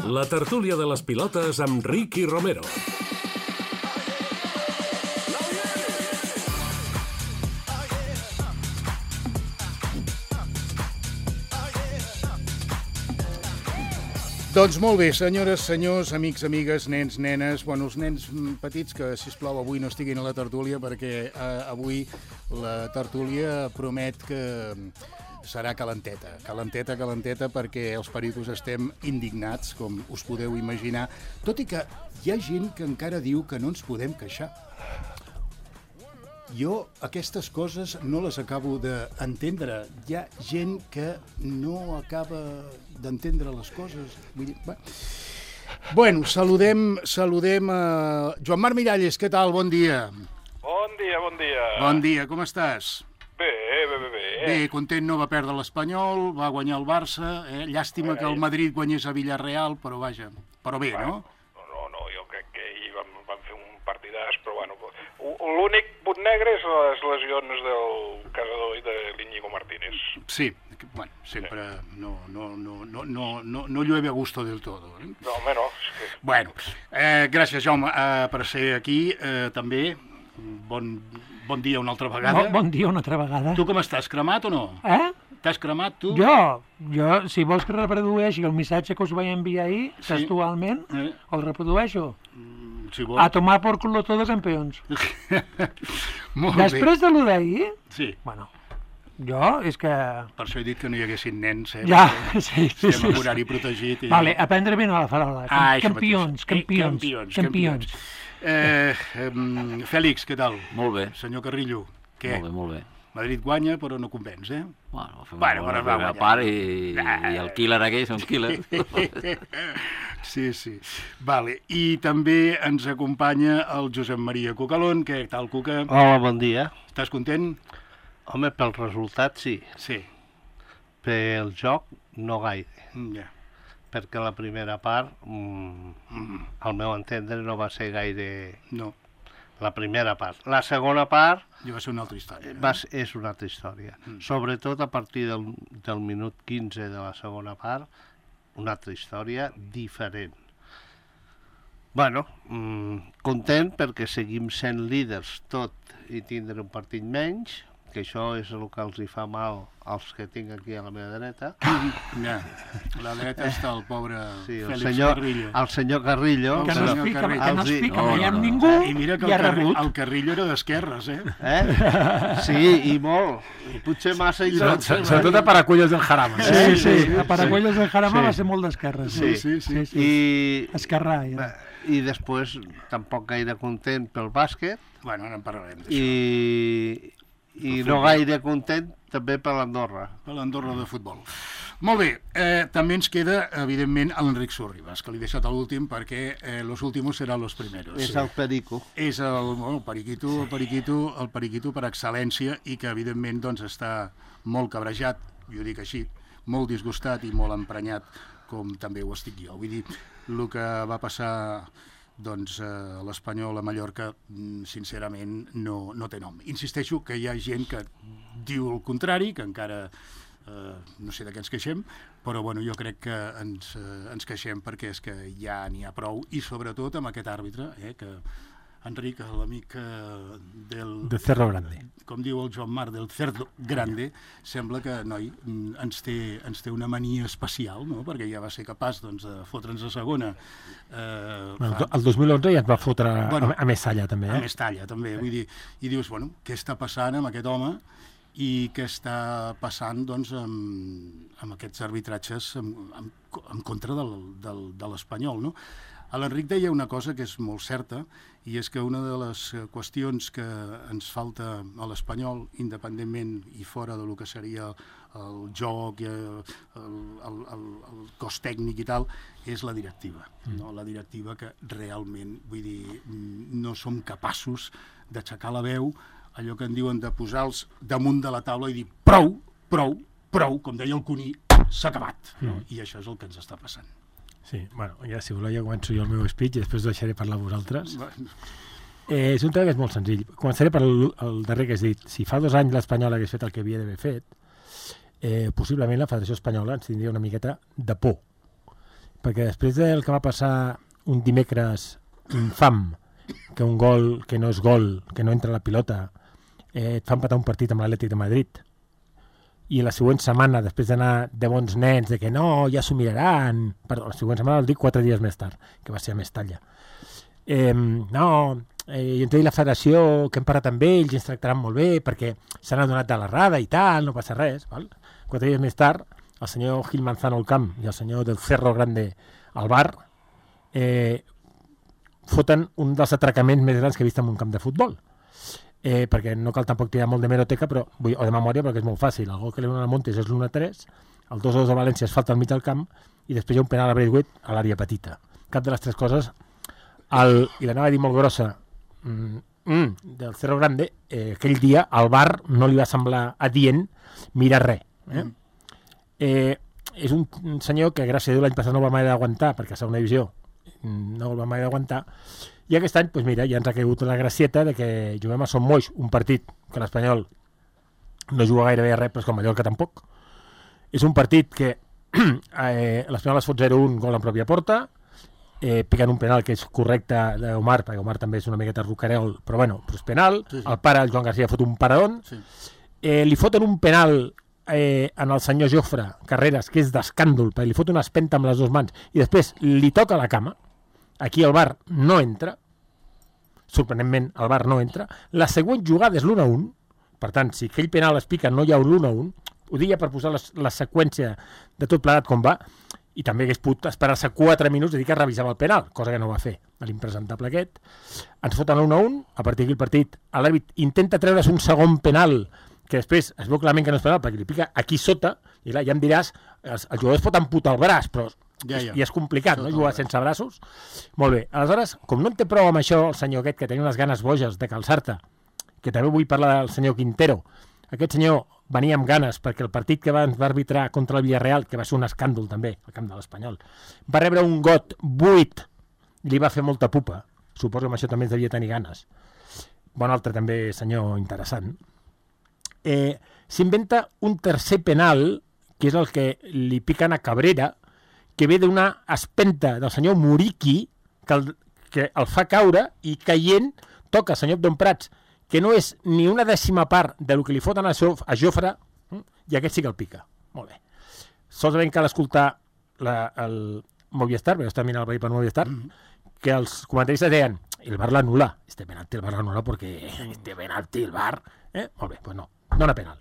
La tertúlia de les pilotes amb Ricky Romero. Doncs molt bé, senyores, senyors, amics, amigues, nens, nenes, bueno, els nens petits que, sisplau, avui no estiguin a la tertúlia perquè avui la tertúlia promet que serà calenteta, perquè els pericos estem indignats, com us podeu imaginar, tot i que hi ha gent que encara diu que no ens podem queixar. Jo aquestes coses no les acabo d'entendre. Hi ha gent que no acaba d'entendre les coses. Vull dir, bueno, saludem a Joan Marc Miralles. Què tal? Bon dia. Bon dia. Bon dia, com estàs? Bé. Bé, content, no va perdre l'Espanyol, va guanyar el Barça, llàstima que el Madrid guanyés a Villarreal, però vaja, però bé, no? No, jo crec que ahir van fer un partidàs, però bueno, l'únic punt negre és les lesions del casador i de l'Iñigo Martínez. Sí, bueno, sempre no llueve a gusto del todo. No, home, no. Bueno, gràcies, Jaume, per ser aquí, també. Bon dia una altra vegada. Bon dia una altra vegada. Tu com estàs, cremat o no? T'has cremat, tu? Jo, si vols que reprodueixi el missatge que us vaig enviar ahir, textualment, el reprodueixo. Si vols. A tomar por culo todos campeons. Molt bé. Després de lo d'ahir, sí. Bueno, jo és que... Per això he dit que no hi haguessin nens, Ja, sí. Estem en horari protegit. Vale, a prendre ben a la farola. Campions. Fèlix, què tal? Molt bé. Senyor Carrillo, què? Molt bé. Madrid guanya, però no convenç, Bueno, fem una primera part i el killer aquell és un killer. Sí. Vale. I també ens acompanya el Josep Maria Cucalón. Què tal, Cuca? Hola, bon dia. Estàs content? Home, pel resultat sí. Sí. Pel joc no gaire. Ja. Perquè la primera part, al meu entendre, no va ser gaire... No. La primera part. La segona part... Ja va ser una altra història. És una altra història. Sobretot a partir del minut 15 de la segona part, una altra història diferent. Bueno, content perquè seguim sent líders tot i tindre un partit menys, que això és el que els hi fa mal als que tinc aquí a la meva dreta. Ja, a la dreta està el pobre Fèlix Carrillo. El senyor Carrillo. Que no es fica mai amb ningú i mira que el Carrillo era d'esquerres, Sí, i molt. I potser massa... Sobretot a Paracuellos del Jarama. Sí, a Paracuellos del Jarama va ser molt d'esquerres. Sí. Esquerrà. I després tampoc gaire content pel bàsquet. Bueno, ara en parlarem d'això. I no gaire content també per l'Andorra. Per l'Andorra de futbol. Molt bé, també ens queda, evidentment, l'Enric Sorribas, que l'he deixat a l'últim perquè los últimos serán los primeros. És el perico. És el periquito per excel·lència i que, evidentment, doncs, està molt cabrejat, jo dic així, molt disgustat i molt emprenyat, com també ho estic jo. Vull dir, el que va passar... doncs l'Espanyol a Mallorca, sincerament, no té nom. Insisteixo que hi ha gent que diu el contrari, que encara no sé de què ens queixem, però bueno, jo crec que ens queixem perquè és que ja n'hi ha prou, i sobretot amb aquest àrbitre, que Enric, l'amic del Cerro Grande. Com diu el Joan Marc, del Cerdo Grande, sembla que, noi, ens té una mania especial, no? Perquè ja va ser capaç de fotre'ns a segona. El 2011 ja es va fotre a Mestalla, també. A Mestalla, també. Vull dir, i dius, bueno, què està passant amb aquest home i què està passant, doncs, amb aquests arbitratges en contra de l'Espanyol, no? L'Enric deia una cosa que és molt certa, i és que una de les qüestions que ens falta a l'Espanyol, independentment i fora del que seria el joc, el cos tècnic i tal, és la directiva. No? La directiva que realment, vull dir, no som capaços d'aixecar la veu, allò que en diuen de posar-los damunt de la taula i dir prou, com deia el Cuní, s'ha acabat. No? I això és el que ens està passant. Sí, bueno, ja si voleu ja començo jo el meu speech i després deixaré parlar a vosaltres. És un tema que és molt senzill. Començaré per el darrer que has dit. Si fa 2 anys l'Espanyol hagués fet el que havia d'haver fet, possiblement la Federació Espanyola ens tindria una miqueta de por. perquè després del que va passar un dimecres infam, que un gol que no és gol, que no entra a la pilota, et fa empatar un partit amb l'Atlètic de Madrid, i la següent setmana, després d'anar de bons nens, de que no, ja s'ho miraran, perdó, la següent setmana el dic 4 dies més tard, que va ser a Mestalla. I ens deia la federació que hem parlat amb ells i ens tractaran molt bé perquè s'han adonat de l'errada i tal, no passa res. Val? 4 dies més tard, el senyor Gil Manzano al camp i el senyor del Cerro Grande al bar foten un dels atracaments més grans que he vist en un camp de futbol. Perquè no cal tampoc tirar molt de meroteca o de memòria, perquè és molt fàcil. El gol que li donen a Montes és l'1-3, el 2-2 de València es falta al mig del camp i després hi ha un penal a Braithwaite a l'àrea petita. Cap de les tres coses. I l'anava a dir molt grossa del Cerro Grande, aquell dia al bar no li va semblar adient mirar res. És un senyor que gràcies a Déu l'any passat no va mai d'aguantar, perquè a segona divisió no el va mai d'aguantar, i aquest any, doncs mira, ja ens ha caigut la gracieta de que juguem a Son Moix, un partit que l'Espanyol no juga gairebé a res, però és com Mallorca tampoc. És un partit que l'Espanyol es fot 0-1 gol en pròpia porta, picant un penal que és correcte d'Omar, perquè Omar també és una miqueta rucarel, però bueno, és penal, sí. El pare, el Joan García, fot un paradón, sí. Li foten un penal en el senyor Jofre Carreras, que és d'escàndol, perquè li fot una espenta amb les dues mans, i després li toca la cama. Aquí el VAR no entra, sorprenentment el VAR no entra, la següent jugada és l'1-1, per tant, si aquell penal es pica no hi ha un l'1-1, ho diria per posar la seqüència de tot plegat com va, i també hagués pogut esperar-se 4 minuts i dir que revisava el penal, cosa que no va fer l'impresentable aquest. Ens foten l'1-1, a partir d'aquí el partit, l'àrbit intenta treure's un segon penal, que després es veu clarament que no és penal, perquè li pica aquí sota, i clar, ja em diràs, els jugadors pot amputar el braç, però i és complicat, no?, jugar sense braços. Molt bé, aleshores, com no en té prou amb això, el senyor aquest, que tenia unes ganes boges de calçar-te, que també vull parlar del senyor Quintero, aquest senyor venia amb ganes, perquè el partit que va arbitrar contra el Villarreal, que va ser un escàndol també, al camp de l'Espanyol, va rebre un got buit, i li va fer molta pupa. Suposo que amb això també ens devia tenir ganes. Bon altre també, senyor interessant. S'inventa un tercer penal, que és el que li piquen a Cabrera, que ve d'una espenta del senyor Muriqui, que el fa caure i caient toca el senyor Abdon Prats, que no és ni una dècima part del que li foten a Jofre, i aquest sí que el pica. Molt bé. Solament cal escoltar el Movistar, perquè està mirant el veí per Movistar, que els comentaristes deien, el VAR l'anul·la. Este penalti el VAR l'anul·la perquè este penalti el VAR... Molt bé, doncs no era penal.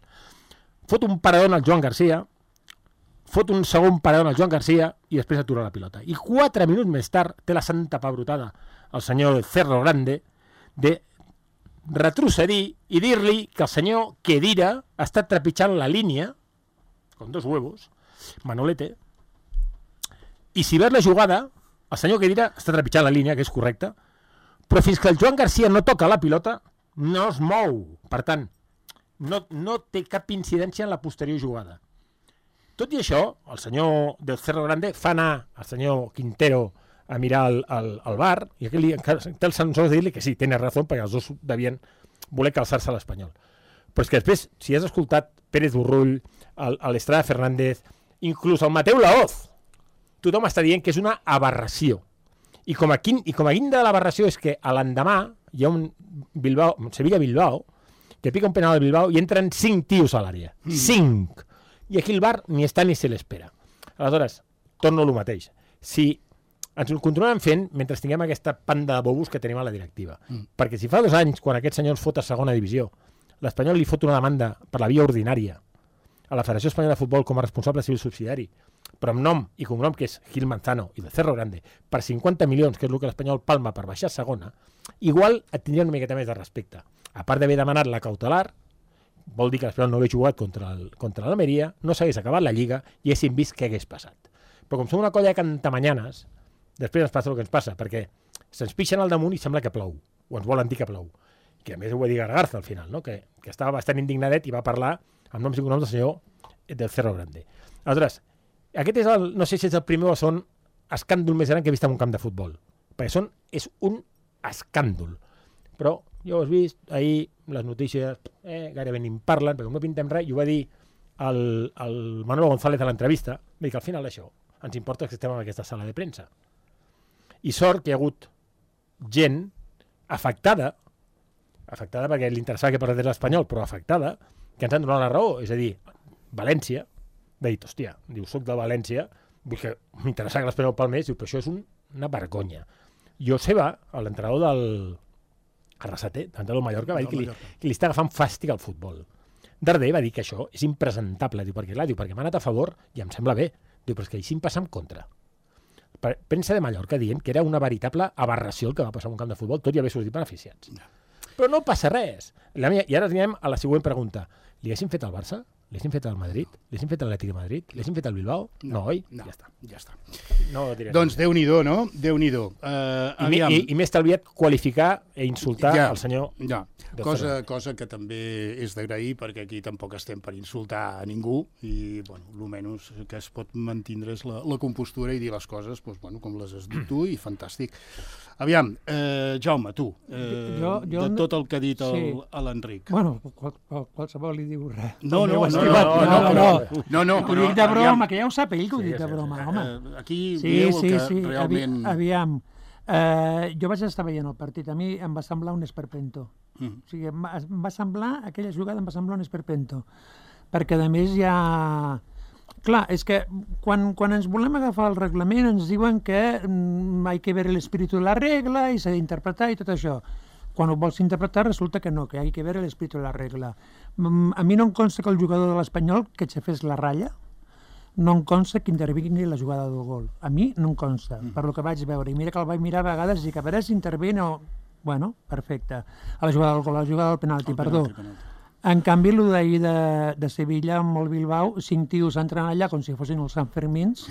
Fot un paradón al Joan García, fot un segon paradón al Joan García i després atura la pilota. I 4 minuts més tard té la santa pebrotada el senyor Cerro Grande de retrocedir i dir-li que el senyor Kedira ha estat trepitjant la línia, con 2 huevos, Manolete, i si veus la jugada, el senyor Kedira està trepitjant la línia, que és correcta, però fins que el Joan García no toca la pilota, no es mou. Per tant, no té cap incidència en la posterior jugada. Tot i això, el senyor del Cerro Grande fa anar el senyor Quintero a mirar el bar, i aquell dia té el sensor de dir-li que sí, tens raó, perquè els dos devien voler calçar-se a l'Espanyol. Però és que després, si has escoltat Pérez Burrull, l'Estrada Fernández, inclús el Mateu Laoz, tothom està dient que és una aberració. I com a guinda de l'aberració és que a l'endemà hi ha un Sevilla-Bilbao, que pica un penal al Bilbao i entren 5 tios a l'àrea. 5! I aquí el VAR ni està ni se l'espera. Aleshores, torno al mateix. Si ens ho continuem fent mentre tinguem aquesta panda de bobos que tenim a la directiva. Perquè si fa 2 anys, quan aquest senyor ens fot a segona divisió, l'Espanyol li fot una demanda per la via ordinària a la Federació Espanyola de Futbol com a responsable civil subsidiari, però amb nom i cognom que és Gil Manzano i de Cerro Grande, per 50 milions, que és el que l'Espanyol palma per baixar a segona, igual et tindria una miqueta més de respecte. A part d'haver demanat la cautelar, vol dir que l'Espanyol no hagués jugat contra l'Almeria, no s'hagués acabat la Lliga i haguéssim vist què hagués passat. Però com som una colla de cantamanyanes, després ens passa el que ens passa, perquè se'ns pixen al damunt i sembla que plou, o ens volen dir que plou. Que a més ho va dir Gargarza al final, no? que estava bastant indignadet i va parlar amb noms i cognoms del senyor del Cerro Grande. Aleshores, aquest és no sé si és el primer o el segon escàndol més gran que he vist en un camp de futbol, perquè és un escàndol. Però jo ho has vist, ahir les notícies gairebé ni en parlen, perquè com no pintem res, i ho va dir el Manolo González a l'entrevista, va dir que al final això, ens importa que estem en aquesta sala de premsa. I sort que hi ha hagut gent afectada perquè li interessava que parlés l'Espanyol, però afectada, que ens han donat la raó. És a dir, València va dir, hòstia, diu, soc de València, vull que m'interessa que l'Espanyol palmés, diu, però això és una vergonya. Joseba, l'entrenador del Arrasate, l'entrenador del Mallorca, va dir que li està agafant fàstic al futbol. Darder va dir que això és impresentable, diu, perquè m'ha anat a favor i em sembla bé. Diu, però és que així em passa en contra. Premsa de Mallorca dient que era una veritable aberració el que va passar en un camp de futbol, tot i haver sortit beneficiats. Però no passa res. I ara anem a la següent pregunta. Li haguessin fet al Barça? Li haguessin fet al Madrid? Li haguessin fet a l'Atlètic de Madrid? Li haguessin fet al Bilbao? No, oi? No, ja està. No doncs Déu-n'hi-do, no? Déu-n'hi-do. I m'he estalviat qualificar i insultar el senyor... Ja, cosa que també és d'agrair, perquè aquí tampoc estem per insultar a ningú i, bueno, almenys que es pot mantindre és la compostura i dir les coses, doncs, bueno, com les has dit tu, i fantàstic. Aviam, Jaume, tu, de tot el que ha dit l'Enric. Bueno, qualsevol li diu res. No. Ho dic de broma, que ja ho sap ell que ho dic de broma, home. Aquí veieu que realment... Aviam, jo vaig estar veient el partit, a mi em va semblar un esperpento. O sigui, em va semblar, aquella jugada em va semblar un esperpento. Perquè, a més, ja... Clar, és que quan ens volem agafar el reglament ens diuen que hay que ver el espíritu de la regla i s'ha d'interpretar i tot això. Quan ho vols interpretar resulta que no, que hay que ver el espíritu de la regla. A mi no em consta que el jugador de l'Espanyol que aixafés la ratlla, no em consta que intervingui la jugada del gol. A mi no em consta, per lo que vaig veure. I mira que el vaig mirar a vegades i que a veure si intervene o... Bueno, perfecte. A la jugada del gol, a la jugada del penalti, perdó. En canvi, el d'ahir de Sevilla amb el Bilbao, 5 tios entren allà com si fossin els Sanfermins,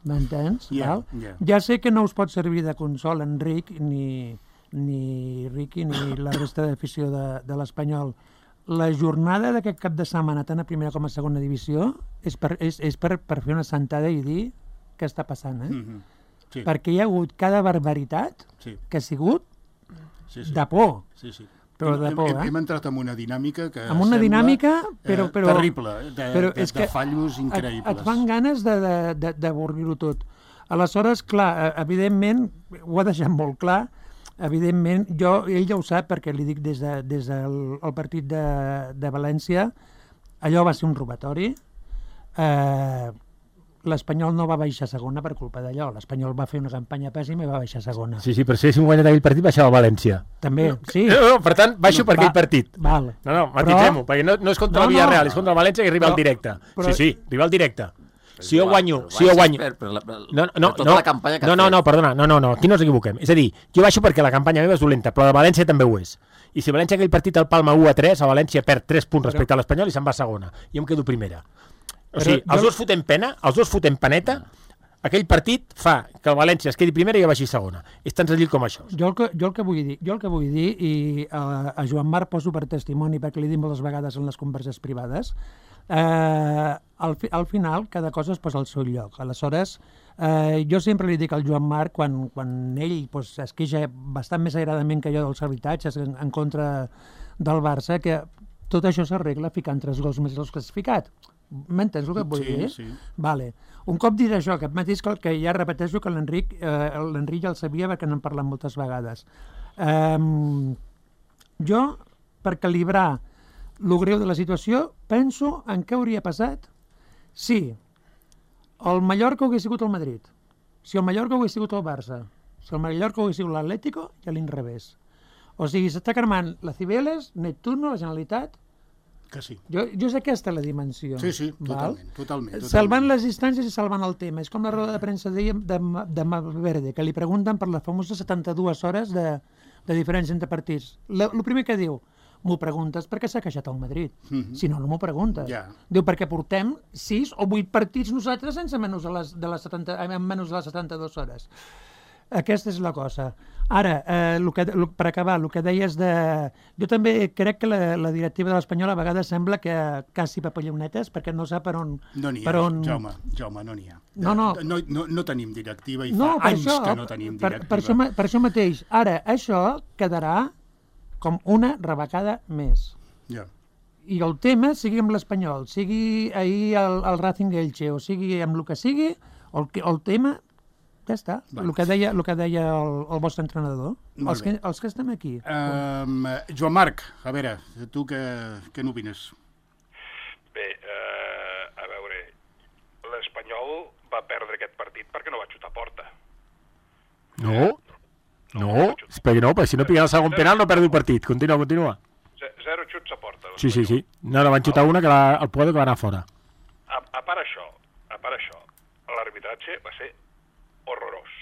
m'entens? Ja sé que no us pot servir de consol, Enric, ni Riqui ni la resta d'afició de l'Espanyol. La jornada d'aquest cap de setmana, tant a primera com a segona divisió, és per fer una sentada i dir què està passant, Perquè hi ha hagut cada barbaritat que ha sigut de por. Però de por, Hem entrat en una dinàmica que però terrible, de fallos increïbles. Et fan ganes d'avorrir-ho tot. Aleshores, clar, evidentment, ho ha deixat molt clar. Evidentment, ell ja ho sap, perquè li dic des del partit de València, allò va ser un robatori. L'Espanyol no va baixar a segona per culpa d'allò. L'Espanyol va fer una campanya pèssima i va baixar a segona. Sí, però si haguéssim guanyat aquell partit, baixava a València. També, sí. No, per tant, baixo per aquell partit. Val. No, matitzem-ho, perquè no és contra el Villarreal, és contra el València que arriba al directe. Sí, arriba al directe. Si jo guanyo... No, perdona, aquí no ens equivoquem. És a dir, jo baixo perquè la campanya meva és dolenta, però la València també ho és. I si València aquell partit el palma 1-3, a València perd 3 punts respecte a l'Espanyol i se'n va a segona. I em quedo primera. O sigui, els dos fotem pena, els dos fotem paneta, aquell partit fa que el València es quedi primera i jo baixi segona. És tan senzill com això. Jo el que vull dir, i a Joan Marc poso per testimoni perquè li dic moltes vegades en les converses privades, al final cada cosa es posa al seu lloc. Aleshores, jo sempre li dic al Joan Marc, quan ell es queixa bastant més agradament que jo dels arbitratges en contra del Barça, que tot això s'arregla ficant 3 gols més dels classificat. M'entens el que et vull dir? Sí. Vale. Un cop dit això, aquest mateix que ja repeteixo que l'Enric ja el sabia perquè n'hem parlat moltes vegades. Jo, per calibrar el greu de la situació, penso en què hauria passat si el Mallorca hagués sigut el Madrid, si el Mallorca hagués sigut el Barça, si el Mallorca hagués sigut l'Atlético i a l'inrevés. O sigui, s'està cremant la Cibeles, Neptuno, la Generalitat. Que sí. Jo sé que aquesta és la dimensió. Sí, totalment. Salvant les distàncies i salvant el tema. És com la roda de premsa de Malverde, que li pregunten per les famoses 72 hores de diferència entre partits. El primer que diu, m'ho preguntes perquè s'ha queixat el Madrid. Si no, no m'ho preguntes. Diu, perquè portem 6 o 8 partits nosaltres sense menys de les 72 hores. Aquesta és la cosa. Ara, per acabar, el que deies de... Jo també crec que la directiva de l'Espanyol a vegades sembla que quasi papallonetes, perquè no sap per on... No n'hi ha, Jaume, no n'hi ha. No tenim directiva i fa anys que no tenim directiva. Per això mateix. Ara, això quedarà com una rebecada més. I el tema, sigui amb l'Espanyol, sigui ahir el Racing Elche, o sigui amb el que sigui, El tema, ja està, el que deia el vostre entrenador. Els que estem aquí. Joan Marc, a veure, tu què n'opines? Bé, a veure, l'Espanyol va perdre aquest partit perquè no va xutar a porta. No, perquè si no pica el segon penal no perdi el partit. Continua. 0 xuts a porta. Sí. No, van xutar una que el Puedo que va anar fora. A part això, l'arbitratge va ser horrorós.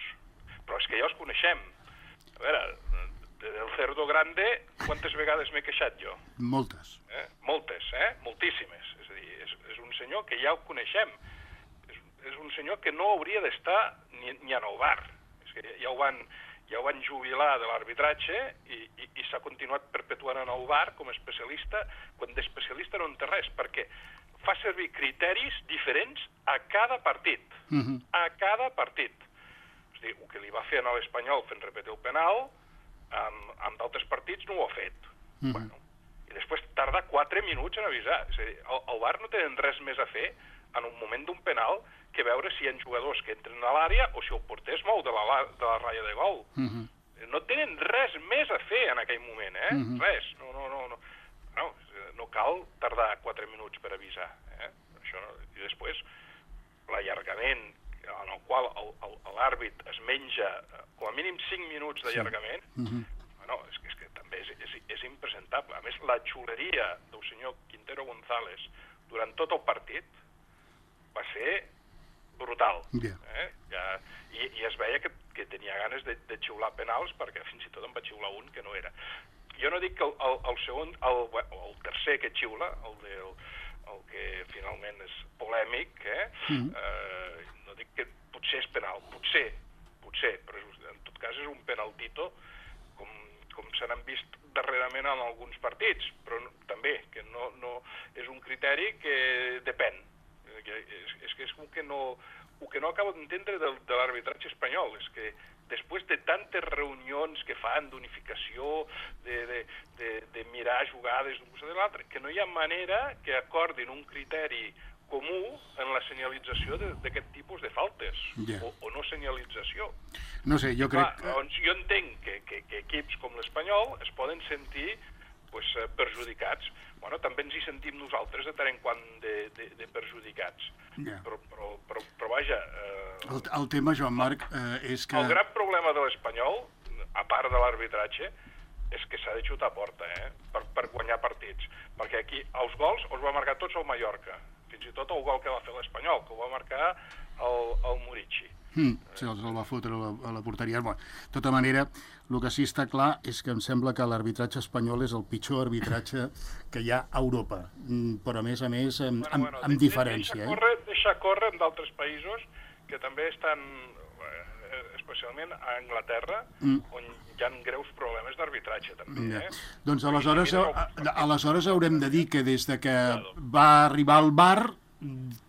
Però és que ja els coneixem. A veure, del Cerdo Grande, quantes vegades m'he queixat jo? Moltes. Moltíssimes. És a dir, és un senyor que ja ho coneixem. És un senyor que no hauria d'estar ni en el bar. És que ja ho van jubilar de l'arbitratge i s'ha continuat perpetuant en el bar com a especialista, quan d'especialista no en té res, perquè fa servir criteris diferents a cada partit. A cada partit. És a dir, el que li va fer a l'Espanyol fent repetir el penal, amb d'altres partits no ho ha fet. Bueno, i després tarda 4 minuts en avisar. És a dir, el VAR no tenen res més a fer en un moment d'un penal que veure si hi ha jugadors que entren a l'àrea o si el porter es mou de la ratlla de gol. No tenen res més a fer en aquell moment, Res. No cal tardar 4 minuts per avisar. Això no. I després, l'allargament en el qual l'àrbit es menja com a mínim 5 minuts d'allargament, és que també és impresentable. A més, la xuleria del senyor Quintero González durant tot el partit va ser brutal. I es veia que tenia ganes de xiular penals, perquè fins i tot en va xiular un que no era. Jo no dic que el tercer que xiula, el que finalment és polèmic, no dic que potser és penal, potser, però en tot cas és un penaltito com se n'han vist darrerament en alguns partits, però també que no és un criteri que depèn. És que és el que no acabo d'entendre de l'arbitratge espanyol, és que després de tantes reunions que fan d'unificació, de mirar jugades d'un costat de l'altre, que no hi ha manera que acordin un criteri comú en la senyalització d'aquest tipus de faltes, o no senyalització. No sé, jo crec... Jo entenc que equips com l'Espanyol es poden sentir perjudicats. Bueno, també ens hi sentim nosaltres de tant en quant de perjudicats. Però vaja... El tema, Joan Marc, és que... El gran problema de l'Espanyol, a part de l'arbitratge, és que s'ha de xutar a porta, per guanyar partits. Perquè aquí els gols els va marcar tots el Mallorca. Fins i tot el gol que va fer l'Espanyol, que ho va marcar el Murici. Sí, el va fotre a la porteria. De tota manera, el que sí està clar és que em sembla que l'arbitratge espanyol és el pitjor arbitratge que hi ha a Europa, però a més amb diferència. Deixa córrer en d'altres països que també estan, especialment a Anglaterra, on hi ha greus problemes d'arbitratge també. Doncs aleshores haurem de dir que des de que va arribar el VAR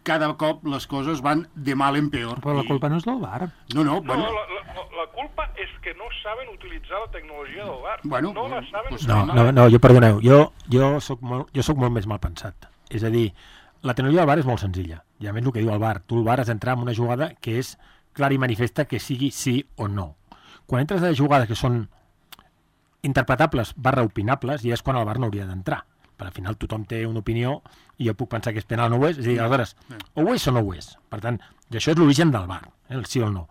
cada cop les coses van de mal en peor. Però la culpa no és del VAR. La culpa és que no saben utilitzar la tecnologia del VAR. No la saben utilitzar. No, jo perdoneu, jo soc molt més mal pensat. És a dir, la tecnologia del VAR és molt senzilla. I a més el que diu el VAR, tu el VAR has d'entrar en una jugada que és clara i manifesta que sigui sí o no. Quan entres a jugades que són interpretables / opinables, ja és quan el VAR no hauria d'entrar. Per al final tothom té una opinió i jo puc pensar que és penal o no ho és, és a dir, aleshores, o ho és o no ho és. Per tant, això és l'origen del VAR, el sí o el no.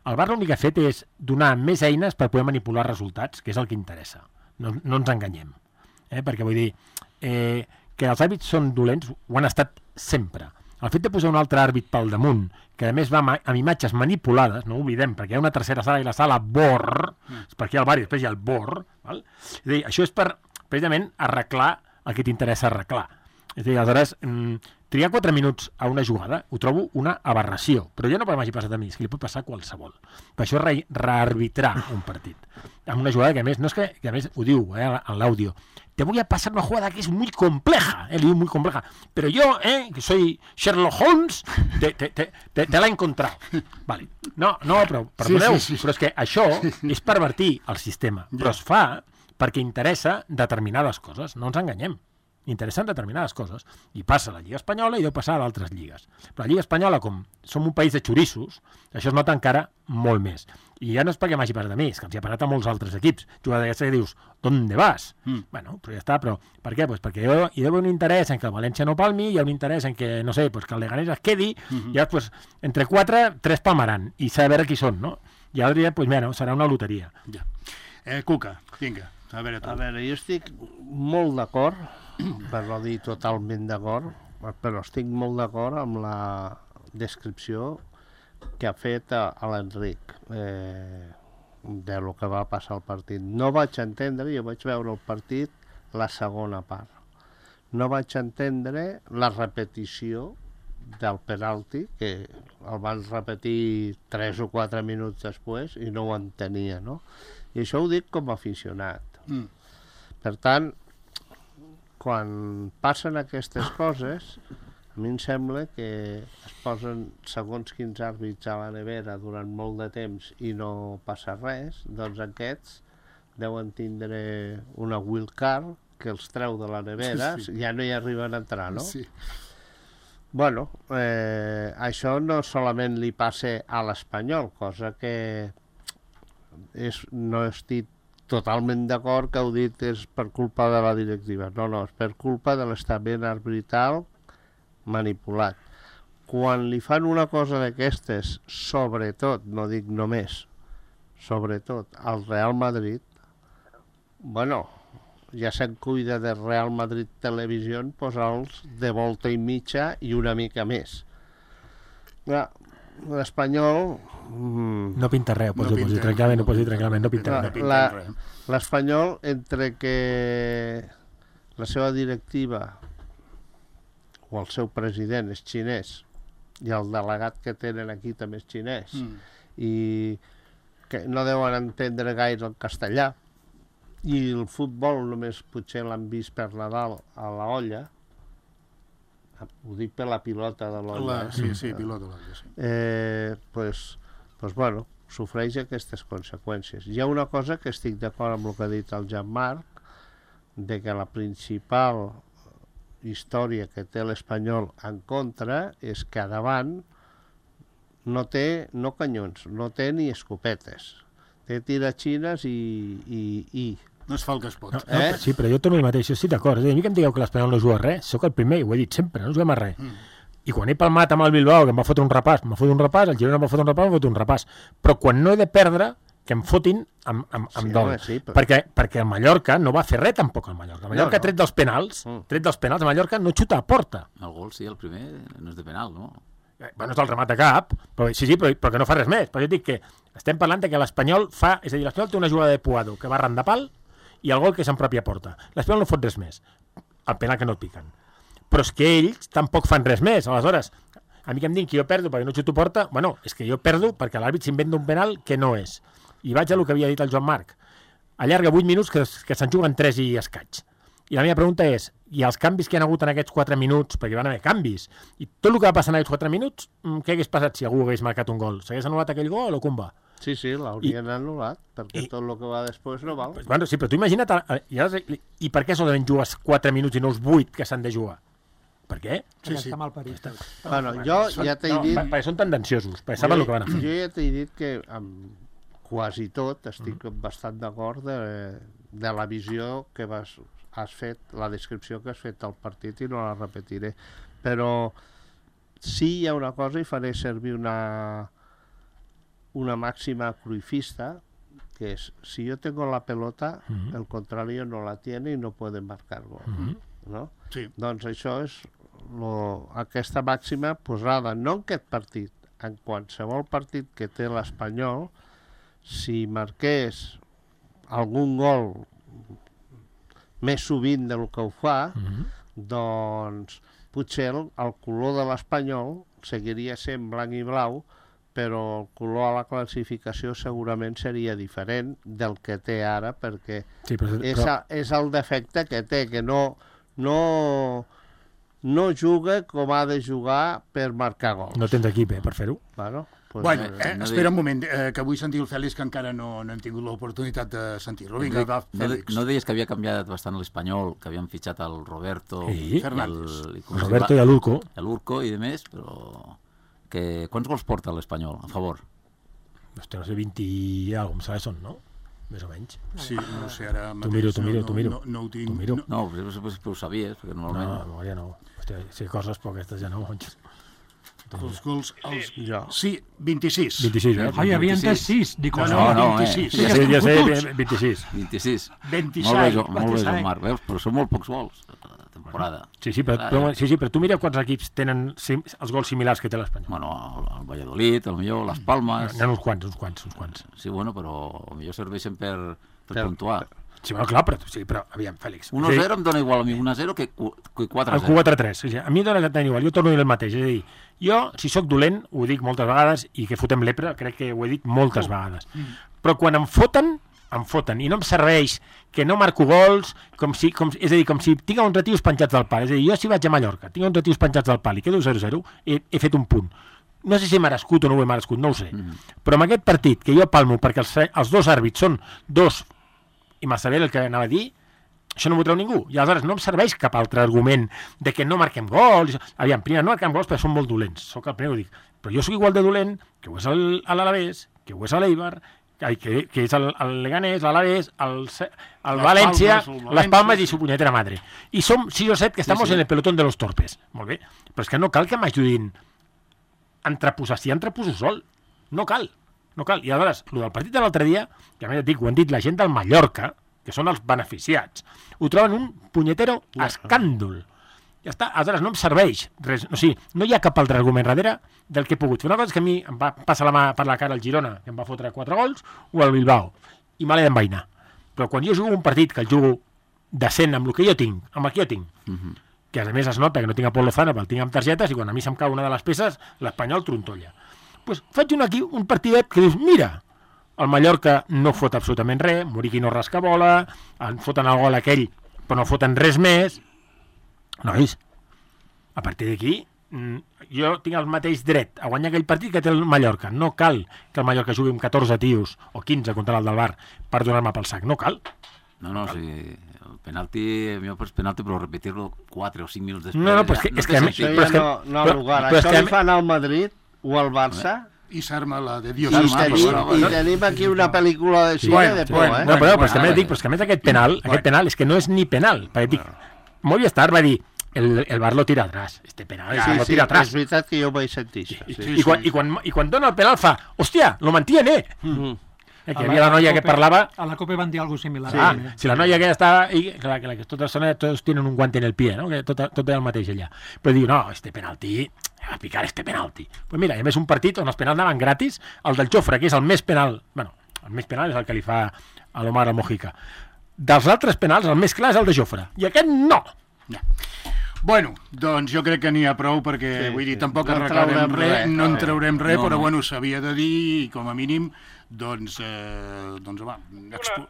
El VAR l'únic que ha fet és donar més eines per poder manipular resultats, que és el que interessa. No ens enganyem. Perquè vull dir que els àrbits són dolents, ho han estat sempre. El fet de posar un altre àrbit pel damunt, que a més va amb imatges manipulades, no ho oblidem, perquè hi ha una tercera sala i la sala BOR, perquè hi ha el VAR i després hi ha el BOR, val? És a dir, això és per, precisament, arreglar el que t'interessa arreglar. És a dir, aleshores, triar 4 minuts a una jugada ho trobo una aberració, però ja no m'hagi passat a mi, és que li pot passar a qualsevol. Per això rearbitrar un partit. Amb una jugada que a més, no és que a més ho diu en l'àudio, te voy a pasar una jugada que es muy compleja, le diu muy compleja, pero yo, que soy Sherlock Holmes, te la he encontrado. Vale. No, però perdoneu, però és que això és pervertir el sistema, però es fa perquè interessa determinades coses, no ens enganyem. interessen determinades coses. I passa a la Lliga Espanyola i deu passar a altres lligues. Però la Lliga Espanyola, com som un país de xorissos, això es nota encara molt més. I ja no és perquè m'hagi passat a mi, és que els hi ha passat a molts altres equips. Jugadors d'aquests que dius, ¿dónde vas? Bueno, però ja està, però per què? Pues perquè hi deu haver un interès en que el València no palmi, hi ha un interès en que, no sé, pues que el Leganés es quedi, i llavors, pues, entre 4, 3 palmaran, i s'ha de veure qui són, no? I ara diria, pues, bueno, serà una loteria. Ja. Cuca, vinga, a veure tu. A veure, jo estic molt d'acord, per no dir totalment d'acord, però estic molt d'acord amb la descripció que ha fet a l'Enric de lo que va passar al partit. No vaig entendre, jo vaig veure el partit la segona part. No vaig entendre la repetició del penalti, que el van repetir 3 o 4 minuts després i no ho entenia, no? I això ho dic com a aficionat. Per tant, quan passen aquestes coses, a mi em sembla que es posen segons quins àrbits a la nevera durant molt de temps i no passa res, doncs aquests deuen tindre una wildcard que els treu de la nevera, ja no hi arriben a entrar, no? Sí. Bueno, això no solament li passa a l'Espanyol, cosa que no estic totalment d'acord que heu dit és per culpa de la directiva. No, és per culpa de l'estament arbitral manipulat. Quan li fan una cosa d'aquestes, sobretot, no dic només, sobretot al Real Madrid, bueno, ja se'n cuida del Real Madrid Televisió posar-los de volta i mitja i una mica més. L'Espanyol... No pinta res, pots dir tranquil·lament, no pinta res. L'Espanyol, entre que la seva directiva o el seu president és xinès i el delegat que tenen aquí també és xinès i que no deuen entendre gaire el castellà i el futbol només potser l'han vist per Nadal a la olla, ho dic per la pilota de l'olla. Sí, pilota de l'olla, sí. Pues bueno, sofreix aquestes conseqüències. Hi ha una cosa que estic d'acord amb el que ha dit el Jean-Marc, de que la principal història que té l'Espanyol en contra és que a davant no té canyons, no té ni escopetes, té tiratxines i no es fa el que es pot. Sí, però jo torno el mateix, jo estic d'acord. A mi que em digueu que l'Espanyol no juga a res, sóc el primer, i ho he dit sempre, no juguem a res. I quan he palmat amb el Bilbao, que em va fotre un repàs, el Girona em va fotre un repàs, em va fotre un repàs. Però quan no he de perdre, que em fotin amb dol. Sí, però... perquè el Mallorca no va fer res tampoc, el Mallorca. El Mallorca, tret dels penals, el Mallorca no xuta a porta. El gol, sí, el primer, no és de penal, no? Bueno, és el remat de cap, però que no fa res més. Però jo dic que estem parlant que l'Espanyol fa... És a dir, l'Espanyol té una jugada de Puado que va arran de pal i el gol que és en pròpia porta. L'Espanyol no fot res més. El penal que no el piquen. Però és que ells tampoc fan res més. Aleshores, a mi que em diuen que jo perdo perquè no xuto porta, bueno, és que jo perdo perquè l'àrbit s'inventa un penal que no és. I vaig a lo que havia dit el Joan Marc. Allarga 8 minuts que se'n juguen 3 i escaig. I la meva pregunta és, i els canvis que hi ha hagut en aquests 4 minuts, perquè van haver canvis, i tot el que va passar en aquests 4 minuts, què hagués passat si algú hagués marcat un gol? S'hagués anul·lat aquell gol o com va? Sí, l'haurien anul·lat, perquè tot el que va després no val. Bueno, sí, però tu imagina't... I per què solament jugues 4 minuts i no els 8 que s'han de jugar? Per què? Sí. Està mal parit. Bueno, jo ja t'he dit... Perquè són tendenciosos, perquè saben el que van a fer. Jo ja t'he dit que amb quasi tot estic bastant d'acord de la visió que has fet, la descripció que has fet del partit i no la repetiré. Però sí hi ha una cosa i faré servir una máxima cruifista, que és, si yo tengo la pelota, el contrario no la tiene y no puede marcar gol. No? Sí. Doncs això és aquesta màxima posada, no en aquest partit, en qualsevol partit que té l'Espanyol, si marqués algun gol més sovint del que ho fa, doncs potser el color de l'Espanyol seguiria sent blanc i blau, però el color a la classificació segurament seria diferent del que té ara, perquè és el defecte que té, que no no juga com ha de jugar per marcar gols. No tens equip, per fer-ho. Bueno, pues, Bueno, espera un moment, que vull sentir el Fèlix, que encara no hem tingut l'oportunitat de sentir-lo. Vinga, va, Fèlix. No deies que havia canviat bastant l'Espanyol, que havien fitxat el Roberto... Sí, Roberto i l'Urco. L'Urco i de més, però... Quants gols porta l'Espanyol, a favor? Hòstia, no sé, 20 i alguna cosa, són, no? Més o menys. Sí, no sé, ara T'ho miro. No ho tinc. No, però ho sabies, perquè normalment... No, memòria no. Hòstia, sí, coses, però aquestes ja no. Els gols... Sí, 26. 26, eh? Ai, havia entès 6. Dic, No, 26. Ja sé, 26. 26. 27. Molt bé, Joan-Marc, veus? Però són molt pocs gols a temporada. Sí, però tu mira quants equips tenen els gols similars que té l'Espanyol. Bueno, el Valladolid, potser les Palmes... N'hi ha uns quants. Sí, bueno, però potser serveixen per puntuar. Sí, bueno, clar, però aviam, Fèlix. 1-0 em dona igual a mi 1-0 que 4-0. El 4-3. A mi em dona tant igual, jo torno a dir el mateix. És a dir, jo, si sóc dolent, ho dic moltes vegades, i que fotem lepre, crec que ho he dit moltes vegades. Però quan em foten, i no em serveix que no marco gols, és a dir, com si tinc uns retius penjats del pal. És a dir, jo si vaig a Mallorca, tinc uns retius penjats del pal i quedo 0-0, he fet un punt. No sé si he merescut o no ho he merescut, no ho sé. Però en aquest partit, que jo palmo perquè els dos àrbits són dos, i massa bé el que anava a dir, això no m'ho treu ningú. I aleshores no em serveix cap altre argument de que no marquem gols. Aviam, primer, no marquem gols perquè som molt dolents. Soc el primer que ho dic. Però jo sóc igual de dolent que ho és l'Alavés, que ho és l'Eibar, que és el Leganés, l'Alavés, el València, les Palmes i su punyetera madre. I som 6 o 7 que estamos en el pelotón de los torpes. Molt bé. Però és que no cal que m'ajudin a entreposar. Si entreposo sol. No cal. I aleshores, el del partit de l'altre dia, que a més et dic, ho han dit la gent del Mallorca, que són els beneficiats, ho troben un punyetero escàndol. Ja està, aleshores no em serveix res, o sigui, no hi ha cap altre argument darrere del que he pogut fer. Una cosa és que a mi em va passar la mà per la cara el Girona, que em va fotre 4 gols, o el Bilbao, i me l'he d'envainar. Però quan jo jugo un partit que el jugo decent amb el que jo tinc, que a més es nota que no tinc a Pol Lozano, però el tinc amb targetes, i quan a mi se'm cau una de les peces, l'Espanyol trontolla. Pues faig un partidet que dius, mira, el Mallorca no fot absolutament res, Muriqui no rasca bola, en foten el gol aquell, però no foten res més. Nois, a partir d'aquí, jo tinc el mateix dret a guanyar aquell partit que té el Mallorca. No cal que el Mallorca jugui amb 14 tios, o 15 contra el del Bar, per donar-me pel sac. No cal. No, sí, el penalti, a mi és penalti, però repetir-lo 4 o 5 minuts després... No, però és que... No, lugar. Això li fan al Madrid o al Barça... I s'arma la de Dios. I tenim aquí una pel·lícula de cine de por, eh? No, però és que a més aquest penal és que no és ni penal. Perquè dic, Movistar va dir, el Bar lo tira atrás. Este penal lo tira atrás. És veritat que jo ho vaig sentir. I quan dona el penal fa, hòstia, lo mantiene. Que hi havia la noia que parlava... A la Copa van dir alguna cosa similar. Si la noia que estava... Que todos tienen un guante en el pie, no? Que tot és el mateix allà. Però diu, no, este penalti... a picar este penalti. Pues mira, a més un partit on els penals anaven gratis, el del Jofre, que és el més penal, bueno, el més penal és el que li fa a l'Omar al Mojica. Dels altres penals, el més clar és el de Jofre. I aquest no! Bueno, doncs jo crec que n'hi ha prou perquè, vull dir, tampoc arreglarem res, no en traurem res, però bueno, s'havia de dir, i com a mínim, doncs va...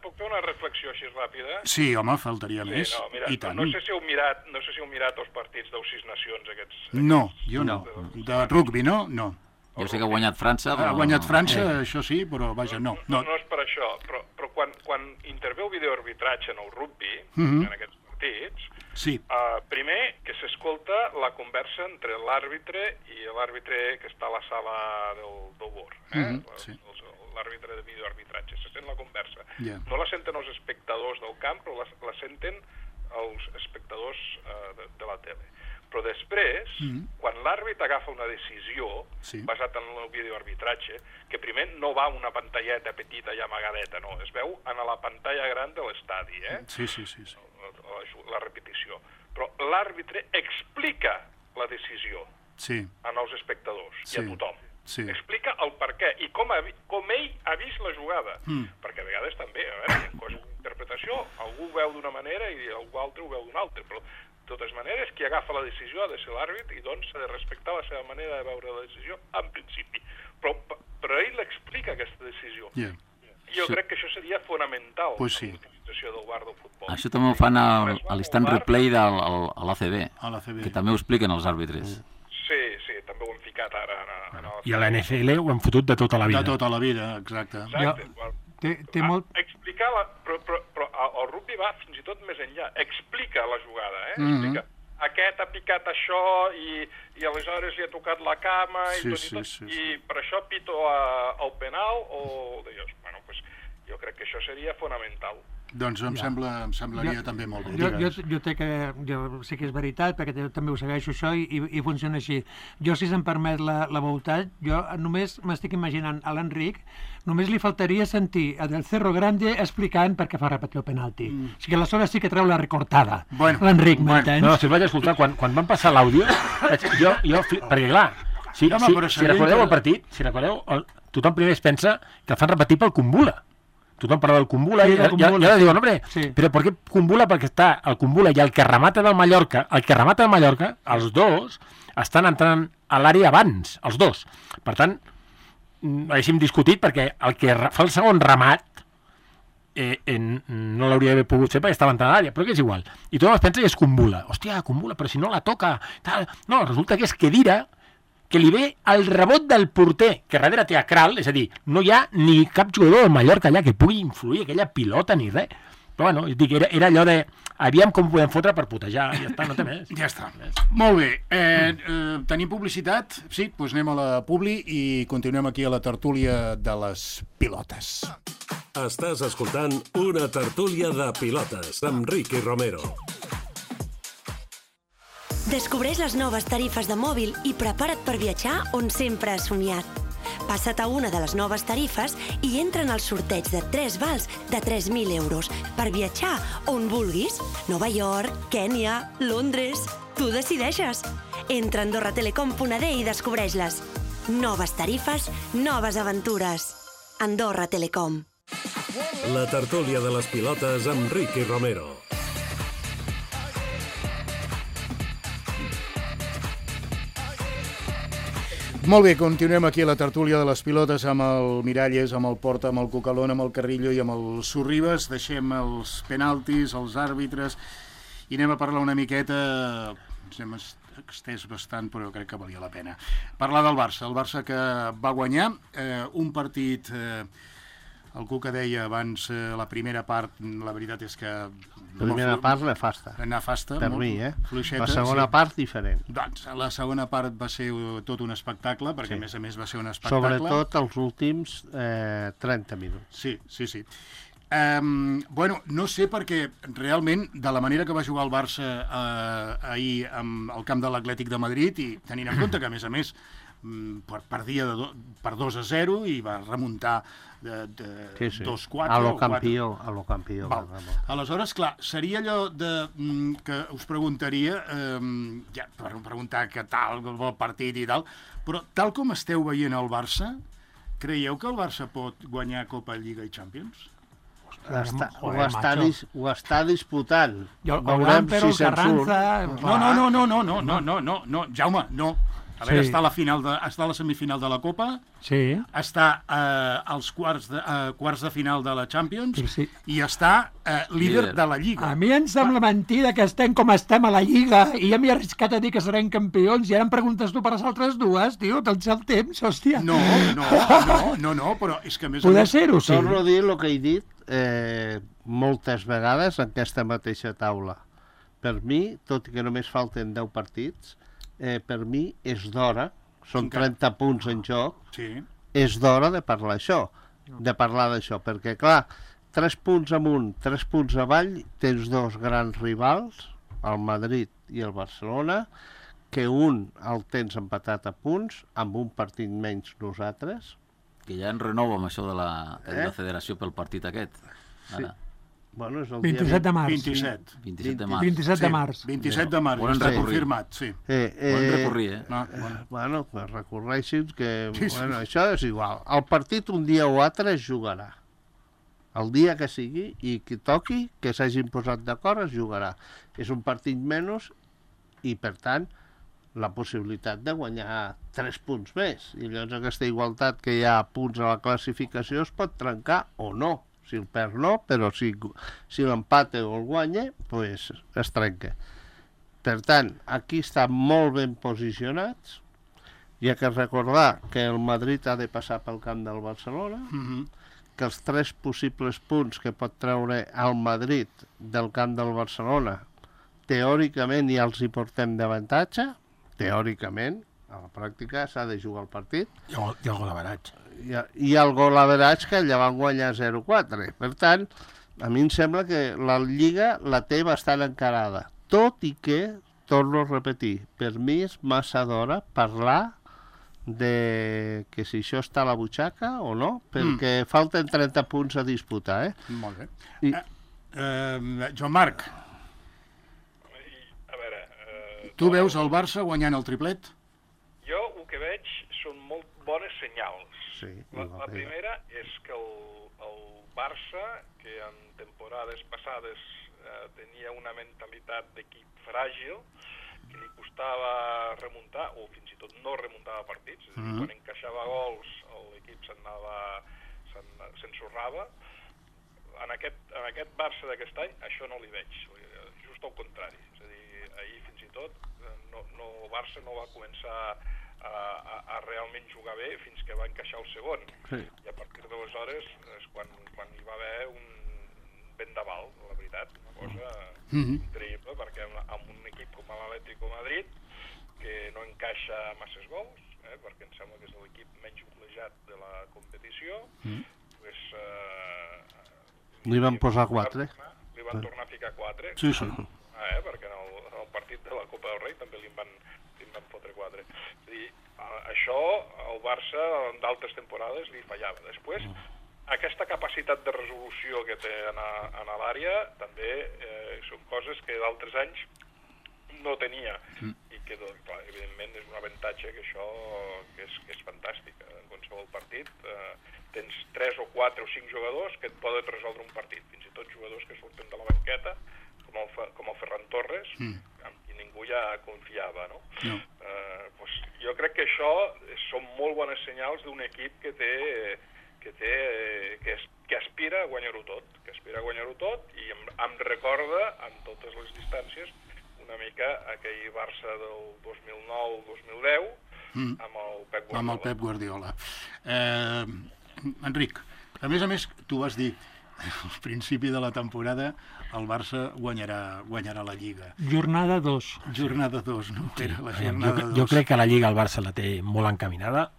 Puc fer una reflexió així ràpida? Sí, home, faltaria més, i tant. No sé si heu mirat els partits dels 6 nacions aquests... No, jo no. De rugby, no? No. Jo sé que ha guanyat França, però... Ha guanyat França, això sí, però vaja, no. No és per això, però quan interveu videoarbitratge en el rugby, en aquests partits, primer que s'escolta la conversa entre l'àrbitre i l'àrbitre que està a la sala del bord, l'àrbitre de videoarbitratge, se sent la conversa. No la senten els espectadors del camp, però la senten els espectadors de la tele. Però després, quan l'àrbit agafa una decisió basat en el videoarbitratge, que primer no va una pantalleta petita i amagadeta, no, es veu en la pantalla gran de l'estadi, Sí. La repetició. Però l'àrbitre explica la decisió en els espectadors i a tothom. Explica el per què i com ell ha vist la jugada. Perquè a vegades també, en coses d'interpretació, algú ho veu d'una manera i algú altre ho veu d'una altra, però de totes maneres, qui agafa la decisió ha de ser l'àrbit i doncs s'ha de respectar la seva manera de veure la decisió en principi. Però ell l'explica, aquesta decisió. jo crec que això seria fonamental, Pues sí. la utilització del VAR del futbol. Això també ho fan a l'instant replay a l'ACB, A l'ACB. que també ho expliquen els àrbitres. Sí, també ho hem ficat ara en el... I a la NFL ho hem fotut de tota la vida. De tota la vida, exacte. Exacte. Té molt... Explicar però el rugby va fins i tot més enllà. Explica la jugada, Explica. Aquest ha picat això i aleshores li ha tocat la cama i tot i tot. Sí. I per això pito el penal o... Bueno, pues, jo crec que això seria fonamental. Doncs em semblaria també molt bé. Jo sé que és veritat, perquè també ho segueixo això i funciona així. Jo, si se'm permet la voluntat, jo només m'estic imaginant a l'Enric, només li faltaria sentir a Del Cerro Grande explicant per què fa repetir el penalti. O sigui, aleshores sí que treu la recortada. L'Enric, m'entens? No, si el vaig escoltar, quan van passar l'àudio, perquè clar, si recordeu el partit, tothom primer es pensa que el fan repetir pel Kumbula. Tothom parla del Kumbula i ja diuen, hombre, però per què Kumbula? Perquè està el Kumbula i el que remata del Mallorca, els dos estan entrant a l'àrea abans, els dos. Per tant, haguéssim discutit perquè el que fa el segon remat no l'hauria d'haver pogut fer perquè estava entrant a l'àrea, però que és igual. I tothom es pensa que és Kumbula. Hòstia, Kumbula, però si no la toca... Tal. No, resulta que és Khedira, que li ve el rebot del porter, que darrere té a Kral, és a dir, no hi ha ni cap jugador del Mallorca allà que pugui influir aquella pilota ni res. Però bueno, dic, era allò de aviam com podem fotre per putejar, ja està, no té més. Ja està. Molt bé. Tenim publicitat? Sí, doncs anem a la publi i continuem aquí a la tertúlia de les pilotes. Estàs escoltant una tertúlia de pilotes amb Ricky Romero. Descobreix les noves tarifes de mòbil i prepara't per viatjar on sempre has somiat. Passa't a una de les noves tarifes i entra en el sorteig de 3 vals de 3.000 euros per viatjar on vulguis. Nova York, Kènia, Londres... Tu decideixes. Entra a AndorraTelecom.d i descobreix-les. Noves tarifes, noves aventures. Andorra Telecom. La tertúlia de les pilotes amb Ricky Romero. Molt bé, continuem aquí a la tertúlia de les pilotes amb el Miralles, amb el Porta, amb el Cucalón, amb el Carrillo i amb el Sorribes. Deixem els penaltis, els àrbitres i anem a parlar una miqueta, ens hem estès bastant, però crec que valia la pena. Parlar del Barça, el Barça que va guanyar un partit... El Cuca deia abans, la primera part, la veritat és que... Primera part nefasta. Nefasta. Per mi, fluixeta, la segona part diferent. Doncs la segona part va ser tot un espectacle, perquè a més va ser un espectacle. Sobretot els últims 30 minuts. Sí. Bueno, no sé perquè realment, de la manera que va jugar el Barça ahir al camp de l'Atlètic de Madrid, i tenint en compte que, a més, perdia per 2-0 i va remuntar de 2-4. A lo campió. Aleshores, clar, seria allò que us preguntaria, ja, per preguntar què tal el partit i tal, però tal com esteu veient el Barça, creieu que el Barça pot guanyar Copa, Lliga i Champions? Ho està disputant. Veurem si se'n surt. No, Jaume, no. A veure, està a la semifinal de la Copa, està als quarts de final de la Champions i està líder de la Lliga. A mi em sembla mentida que estem com estem a la Lliga i ja m'he arriscat a dir que serem campions i ara em preguntes tu per les altres dues, tio, tens el temps, hòstia. No, però és que a més... Poder ser-ho, sí. Torno a dir el que he dit moltes vegades en aquesta mateixa taula. Per mi, tot i que només falten 10 partits, per mi és d'hora, són 30 punts en joc, és d'hora de parlar d'això, perquè clar, 3 punts amunt, 3 punts avall, tens dos grans rivals, el Madrid i el Barcelona, que un el tens empatat a punts, amb un partit menys nosaltres. Que ja en renovo amb això de la federació pel partit aquest. Ara. Bueno, és el 27 de març. 27 de març. 27 de març. 27 de març, està confirmat, sí. Poden recorrir, Bueno, que recorreixin que... Bueno, això és igual. El partit un dia o altre es jugarà. El dia que sigui i que toqui, que s'hagin posat d'acord, es jugarà. És un partit menys i, per tant, la possibilitat de guanyar 3 punts més. I llavors aquesta igualtat que hi ha a punts a la classificació es pot trencar o no. Si el perd no, però si l'empate o el guanya, pues es trenca. Per tant, aquí estan molt ben posicionats. Hi ha que recordar que el Madrid ha de passar pel camp del Barcelona, que els 3 possibles punts que pot treure el Madrid del camp del Barcelona teòricament ja els hi portem d'avantatge, teòricament, a la pràctica s'ha de jugar el partit. I el gol average. I el gol average que allà van guanyar 0-4. Per tant, a mi em sembla que la Lliga la té bastant encarada. Tot i que, torno a repetir, per mi és massa d'hora parlar de que si això està a la butxaca o no, perquè falten 30 punts a disputar, Molt bé. Joan Marc, A veure... tu veus el Barça guanyant el triplet? Jo el que veig són molt bones senyals. Sí, La primera és que el Barça, que en temporades passades tenia una mentalitat d'equip fràgil, que li costava remuntar, o fins i tot no remuntava partits, és a dir, quan encaixava gols l'equip s'ensorrava. En aquest Barça d'aquest any això no li veig, just al contrari. És a dir, ahir fins i tot el Barça no va començar a realment jugar bé fins que va encaixar el segon. Sí. I a partir d'aleshores és quan hi va haver un vendaval, la veritat, una cosa increïble, perquè amb un equip com l'Atlético Madrid, que no encaixa masses gols, perquè em sembla que és l'equip menys golejat de la competició, pues, li van posar 4. Li van tornar a ficar 4. Sí. Perquè en el partit de la Copa del Rei també li van fotre 4. És a dir, això al Barça en d'altres temporades li fallava. Després, aquesta capacitat de resolució que té en l'àrea també són coses que d'altres anys no tenia i que, doncs, clar, evidentment és un avantatge que això que és fantàstic. En qualsevol partit tens 3 o 4 o 5 jugadors que et poden resoldre un partit, fins i tot jugadors que surten de la banqueta com el Ferran Torres, amb qui ningú ja confiava, no? Doncs jo crec que això són molt bones senyals d'un equip que aspira a guanyar-ho tot, i em recorda en totes les distàncies una mica aquell Barça del 2009-2010 amb el Pep Guardiola. Amb el Pep Guardiola. Enric, a més, tu vas dir al principi de la temporada el Barça guanyarà la Lliga. Jornada 2. Jornada 2, no? Sí. Era la jornada 2. Jo crec que la Lliga el Barça la té molt encaminada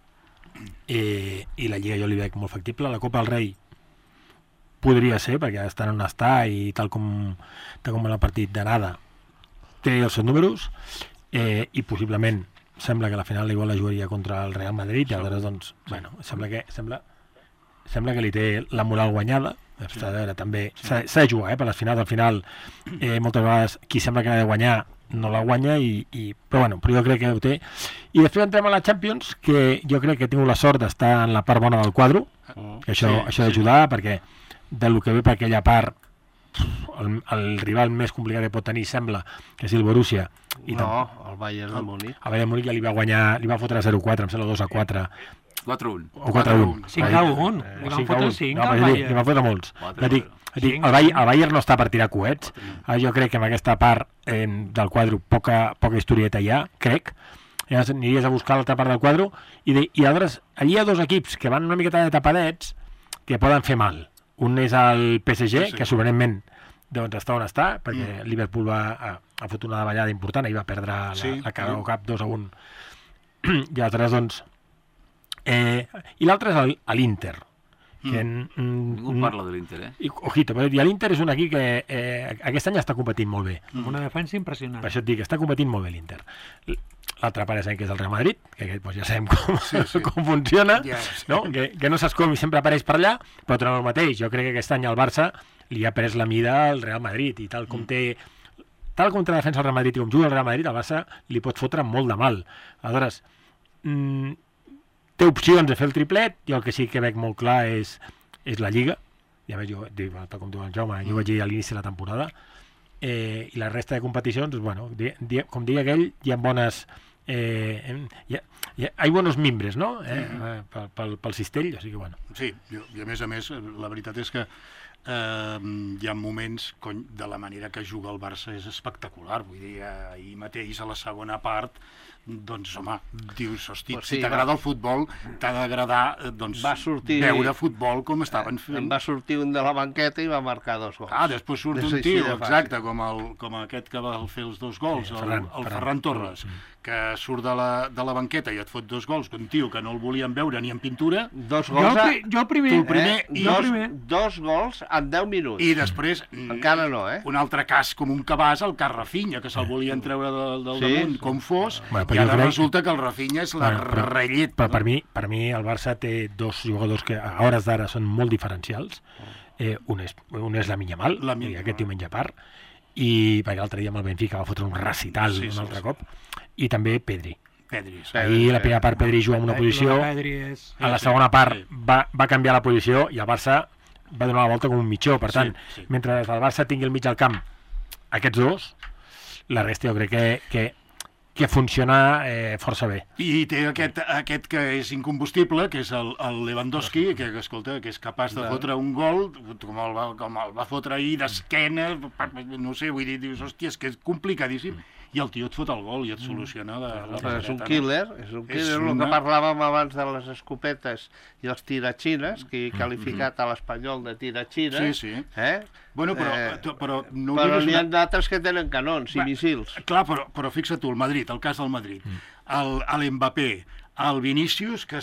i la Lliga jo li veig molt factible. La Copa del Rei podria ser, perquè està on està i tal com en el partit d'anada té els seus números i possiblement sembla que la final igual la jugaria contra el Real Madrid i aleshores doncs, bueno, sembla que li té la moral guanyada. A veure, també s'ha de jugar, per les finals. Al final, moltes vegades, qui sembla que n'ha de guanyar no la guanya, però jo crec que ho té. I després entrem a la Champions, que jo crec que he tingut la sort d'estar en la part bona del quadre, que això ha d'ajudar, perquè del que ve per aquella part, el rival més complicat que pot tenir sembla que és el Borussia. El Bayern de Múnich. El Bayern de Múnich ja li va guanyar, li va fotre 0-4, em sembla 2-4. 4-1. O 4-1. 5-1. Li van fotre 5 al Li Bayern. van fotre molts. El Bayern no està per tirar coets. Jo crec que en aquesta part del quadre poca historieta hi ha, crec. Llavors aniries a buscar l'altra part del quadre i aleshores allí hi ha dos equips que van una miqueta de tapadets que poden fer mal. Un és el PSG, que sorprenentment doncs està on està, perquè Liverpool ha fotut una davallada important i va perdre la Carabao Cup 2-1. I aleshores doncs i l'altre és l'Inter. Ningú parla de l'Inter, Ojito, però l'Inter és un equip que aquest any està competint molt bé. Amb una defensa impressionant. Per això et dic, està competint molt bé l'Inter. L'altre pare sabem que és el Real Madrid, que aquest ja sabem com funciona, no? Que no saps com i sempre apareix per allà, però tornem al mateix. Jo crec que aquest any el Barça li ha pres la mida al Real Madrid i tal com defensa el Real Madrid i com juga el Real Madrid, el Barça li pot fotre molt de mal. Aleshores, té opcions de fer el triplet, jo el que sí que veig molt clar és la Lliga, ja veig, com diu el Jaume, jo vaig dir a l'inici de la temporada, i la resta de competicions, bueno, com diu aquell, hi ha bones Hay buenos mimbres, no? Pel cistell, o sigui, bueno. Sí, i a més, la veritat és que hi ha moments de la manera que juga el Barça és espectacular, vull dir, ahir mateix a la segona part doncs, home, dius, hosti, pues sí, si t'agrada el futbol, t'ha d'agradar veure futbol com estaven fent. En va sortir un de la banqueta i va marcar 2 gols. Després surt un tio, exacte, com aquest que va fer els 2 gols, el Ferran Torres, que surt de la banqueta i et fot 2 gols, un tio que no el volien veure ni en pintura. 2 gols... Jo el primer. 2 gols en 10 minuts. I després... Encara no, un altre cas com un cabàs, el cas Rafinha, que se'l volien treure del damunt, com fos, i ara resulta que el Rafinha és la rellet. Però per mi el Barça té 2 jugadors que a hores d'ara són molt diferencials. Un és Lamine Yamal, aquest diumenge a part, i perquè l'altre dia amb el Benfica va fotre un recital un altre cop, i també Pedri. Ahir la primera part Pedri juga en una posició, a la segona part va canviar la posició i el Barça va donar la volta com un mitjó. Per tant, mentre el Barça tingui al mig del camp aquests 2, la resta jo crec que funciona força bé. I té aquest que és incombustible, que és el Lewandowski, que escolta, que és capaç de fotre un gol, com el va fotre ahir d'esquena, no sé, vull dir, dius, hòstia, és que és complicadíssim, i el tio et fot el gol i et soluciona és un killer, el que parlàvem abans de les escopetes i els tiratxines, que he qualificat a l'Espanyol de tiratxines. Sí. Bueno, però n'hi ha d'altres que tenen canons i missils. Clar, però fixa't tu, el cas del Madrid, l'Mbappé, el Vinícius, que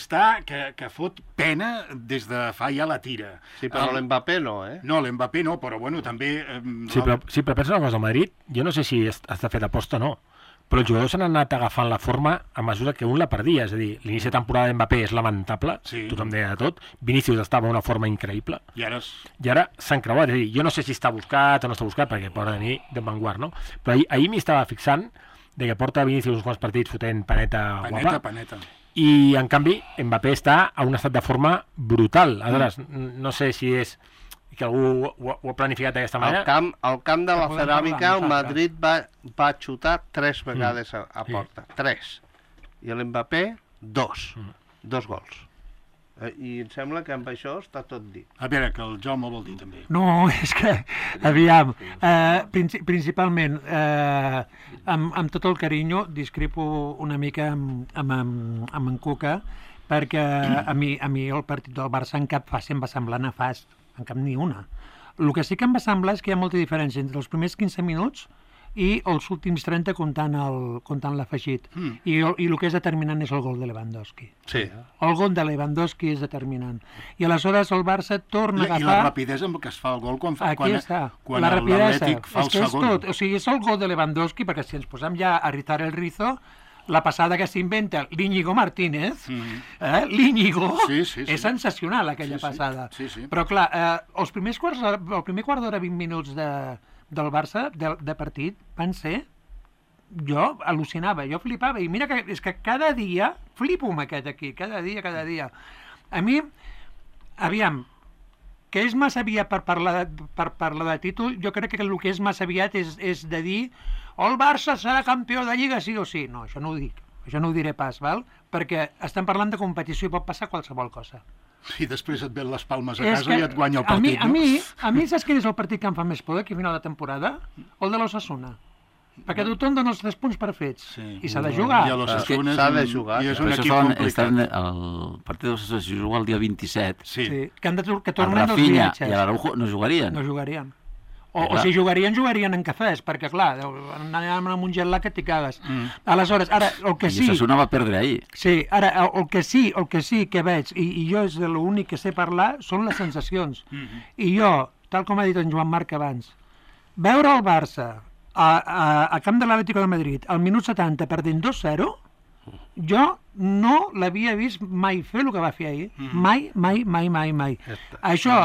fot pena des de fa ja la tira. Sí, però l'Mbappé no, No, l'Mbappé no, però bueno, també... Sí, però pensa una cosa, el Madrid, jo no sé si està fet aposta o no, però els jugadors s'han anat agafant la forma a mesura que un la perdia, és a dir, l'inici de temporada d'Mbappé és lamentable, tothom deia de tot, Vinícius estava en una forma increïble, i ara s'han creuat, és a dir, jo no sé si està buscat o no està buscat, perquè poden venir de Vanguard, no? Però ahir m'hi estava fixant de que porta Vinícius uns quants partits fotent paneta guapa, i en canvi Mbappé està a un estat de forma brutal. Aleshores, no sé si és que algú ho ha planificat d'aquesta manera. Al camp de la Ceràmica el Madrid va xutar 3 vegades a porta, 3, i l'Mbappé 2 gols. I em sembla que amb això està tot dit. A veure, que el Jaume vol dir també. No, és que, aviam, principalment, amb tot el carinyo, discrepo una mica amb en Cuca, perquè a mi el partit del Barça en cap fase em va semblar nefast, en cap ni una. El que sí que em va semblar és que hi ha molta diferència entre els primers 15 minuts i els últims 30 comptant l'afegit. I el que és determinant és el gol de Lewandowski. Sí. El gol de Lewandowski és determinant. I aleshores el Barça torna a agafar... I la rapidesa amb què es fa el gol quan l'Atlètic fa el segon. O sigui, és el gol de Lewandowski, perquè si ens posem ja a ritar el rizo, la passada que s'inventa l'Íñigo Martínez, l'Íñigo, és sensacional aquella passada. Però clar, el primer quart d'hora, 20 minuts del Barça, de partit, van ser... Jo al·lucinava, jo flipava, i mira que és que cada dia flipo amb aquest aquí, cada dia. A mi, aviam, que és massa aviat per parlar de títol, jo crec que el que és massa aviat és de dir el Barça serà campió de Lliga sí o sí. No, això no ho dic, això no ho diré pas, val? Perquè estem parlant de competició i pot passar qualsevol cosa. I després et ven les palmes a casa i et guanya el partit, no? A mi saps quin és el partit que em fa més por aquí a final de temporada? El de l'Osasuna. Perquè tothom dona els 3 punts per fets. I s'ha de jugar. S'ha de jugar. I és un equip complicat. El partit de l'Osasuna es juga el dia 27. Que tornen els viatges. I l'Araujo no jugarien. No jugarien. O si jugarien en cafès, perquè clar, anàvem amb un jet lag que t'hi cagues. Aleshores, ara, el que sí... I Osasuna va perdre ahir. Sí, ara, el que sí que veig, i jo és l'únic que sé parlar, són les sensacions. I jo, tal com ha dit en Joan Marc abans, veure el Barça a camp de l'Atlético de Madrid al minut 70 perdent 2-0, jo no l'havia vist mai fer el que va fer ahir. Mai. Això,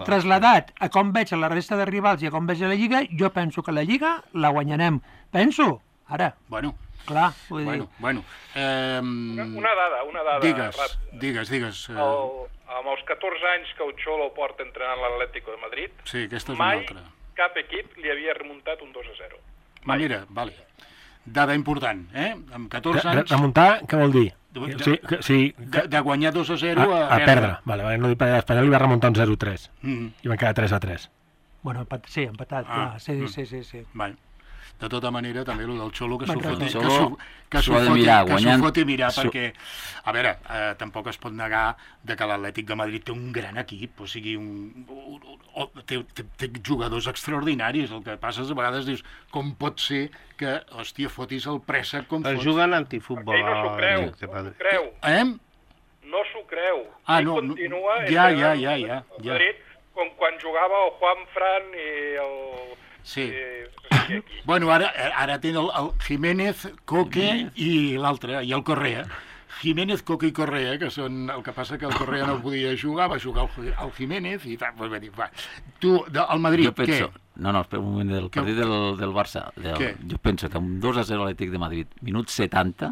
trasladat a com veig a la resta de rivals i a com veig a la Lliga, jo penso que la Lliga la guanyarem. Penso, ara. Bueno. Clar, vull dir. Bueno. Una dada. Digues. Amb els 14 anys que el Xolo porta entrenant l'Atlético de Madrid, sí, aquesta és una altra. Mai cap equip li havia remuntat un 2-0. Mira, vale. Dada important, amb 14 anys... Remuntar, què vol dir? De guanyar 2-0 a perdre. Vale, no dic per l'Espanyol li va remuntar un 0-3 i van quedar 3-3. Bueno, sí, empatat, clar. Sí. Vale. De tota manera, també el del Xolo que s'ho foti mirar, perquè, a veure, tampoc es pot negar que l'Atlètic de Madrid té un gran equip, o sigui, té jugadors extraordinaris. El que passa és a vegades dius, com pot ser que, hòstia, fotis el préssec com fots... Juguen antifutbol. Ell no s'ho creu, no s'ho creu. Ell continua ja. Madrid, com quan jugava el Juan Fran i el... Sí. Bueno, ara tenen el Jiménez, Coque i l'altre, i el Correa. Jiménez, Coque i Correa, que són... El que passa que el Correa no podia jugar, va jugar el Jiménez i tal. Tu, el Madrid, què? No, espera un moment, del partit del Barça. Jo penso que amb 2-0 l'Atlètic de Madrid, minut 70,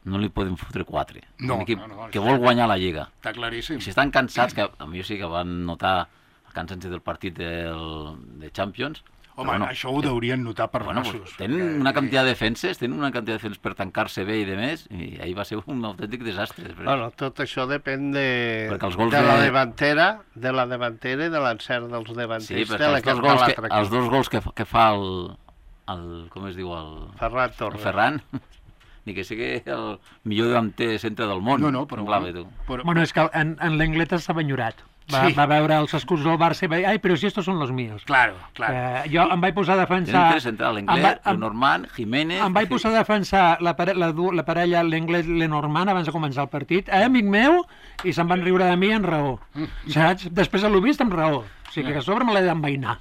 no li podem fotre 4. Un equip que vol guanyar la Lliga. Està claríssim. I si estan cansats, que a mi sí que van notar el cansanci del partit de Champions... Home, això ho deurien notar per nassos. Tenen una quantitat de defenses, per tancar-se bé i de més, i ahir va ser un autèntic desastre. Bueno, tot això depèn de la davantera i de l'encert dels davanters. Sí, perquè els dos gols que fa com es diu, el Ferran, ni que sigui el millor davanter centre del món. No, però... Bueno, és que en l'Angleta s'ha enyorat. Va veure els escuts del Barça i va dir, ai, però si estos són los míos. Claro. Jo em vaig posar a defensar... Tenen tres centrals, l'Anglès, Lenormand, Jiménez... Em vaig posar a defensar la parella l'Anglès-Lenormand abans de començar el partit, amic meu, i se'n van riure de mi en raó. Saps? Després l'ho vist amb raó. O sigui que a sobre me l'he d'envainar.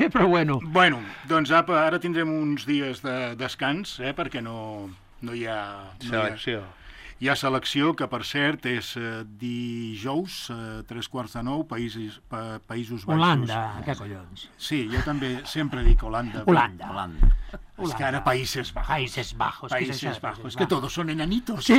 Però bueno. Bueno, doncs ara tindrem uns dies de descans, perquè no hi ha... Selecció. Hi ha selecció, que per cert és dijous, 8:45, Països Baixos. Holanda, què collons? Sí, jo també sempre dic Holanda. Holanda. És que ara Países Bajos. Países Bajos. És que todos son enanitos. Sí.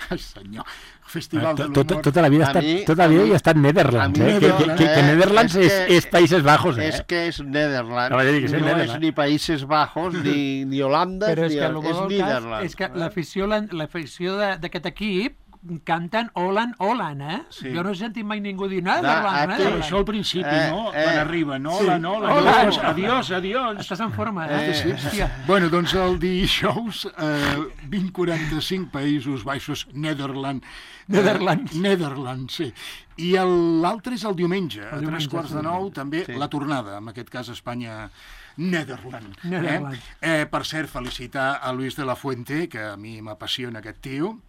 Ai, senyor. Festival de l'humor. Tota la vida hi ha estat Netherlands, que Netherlands és Países Bajos. És que és Netherlands, no és ni Països Bajos, ni Holanda, és Netherlands. És que l'afició d'aquest equip canten Holland, Sí. Jo no he sentit mai ningú dir Netherlands. Això al principi, no? Quan arriben, adiós. Estàs en forma, Hòstia. Bueno, doncs el dijous, 20:45, Països Baixos, Netherlands, sí. I l'altre és el diumenge, a 8:45, també la tornada, en aquest cas Espanya... Netherlands. Per cert, felicitar a Luis de la Fuente, que a mi m'apassiona aquest tio,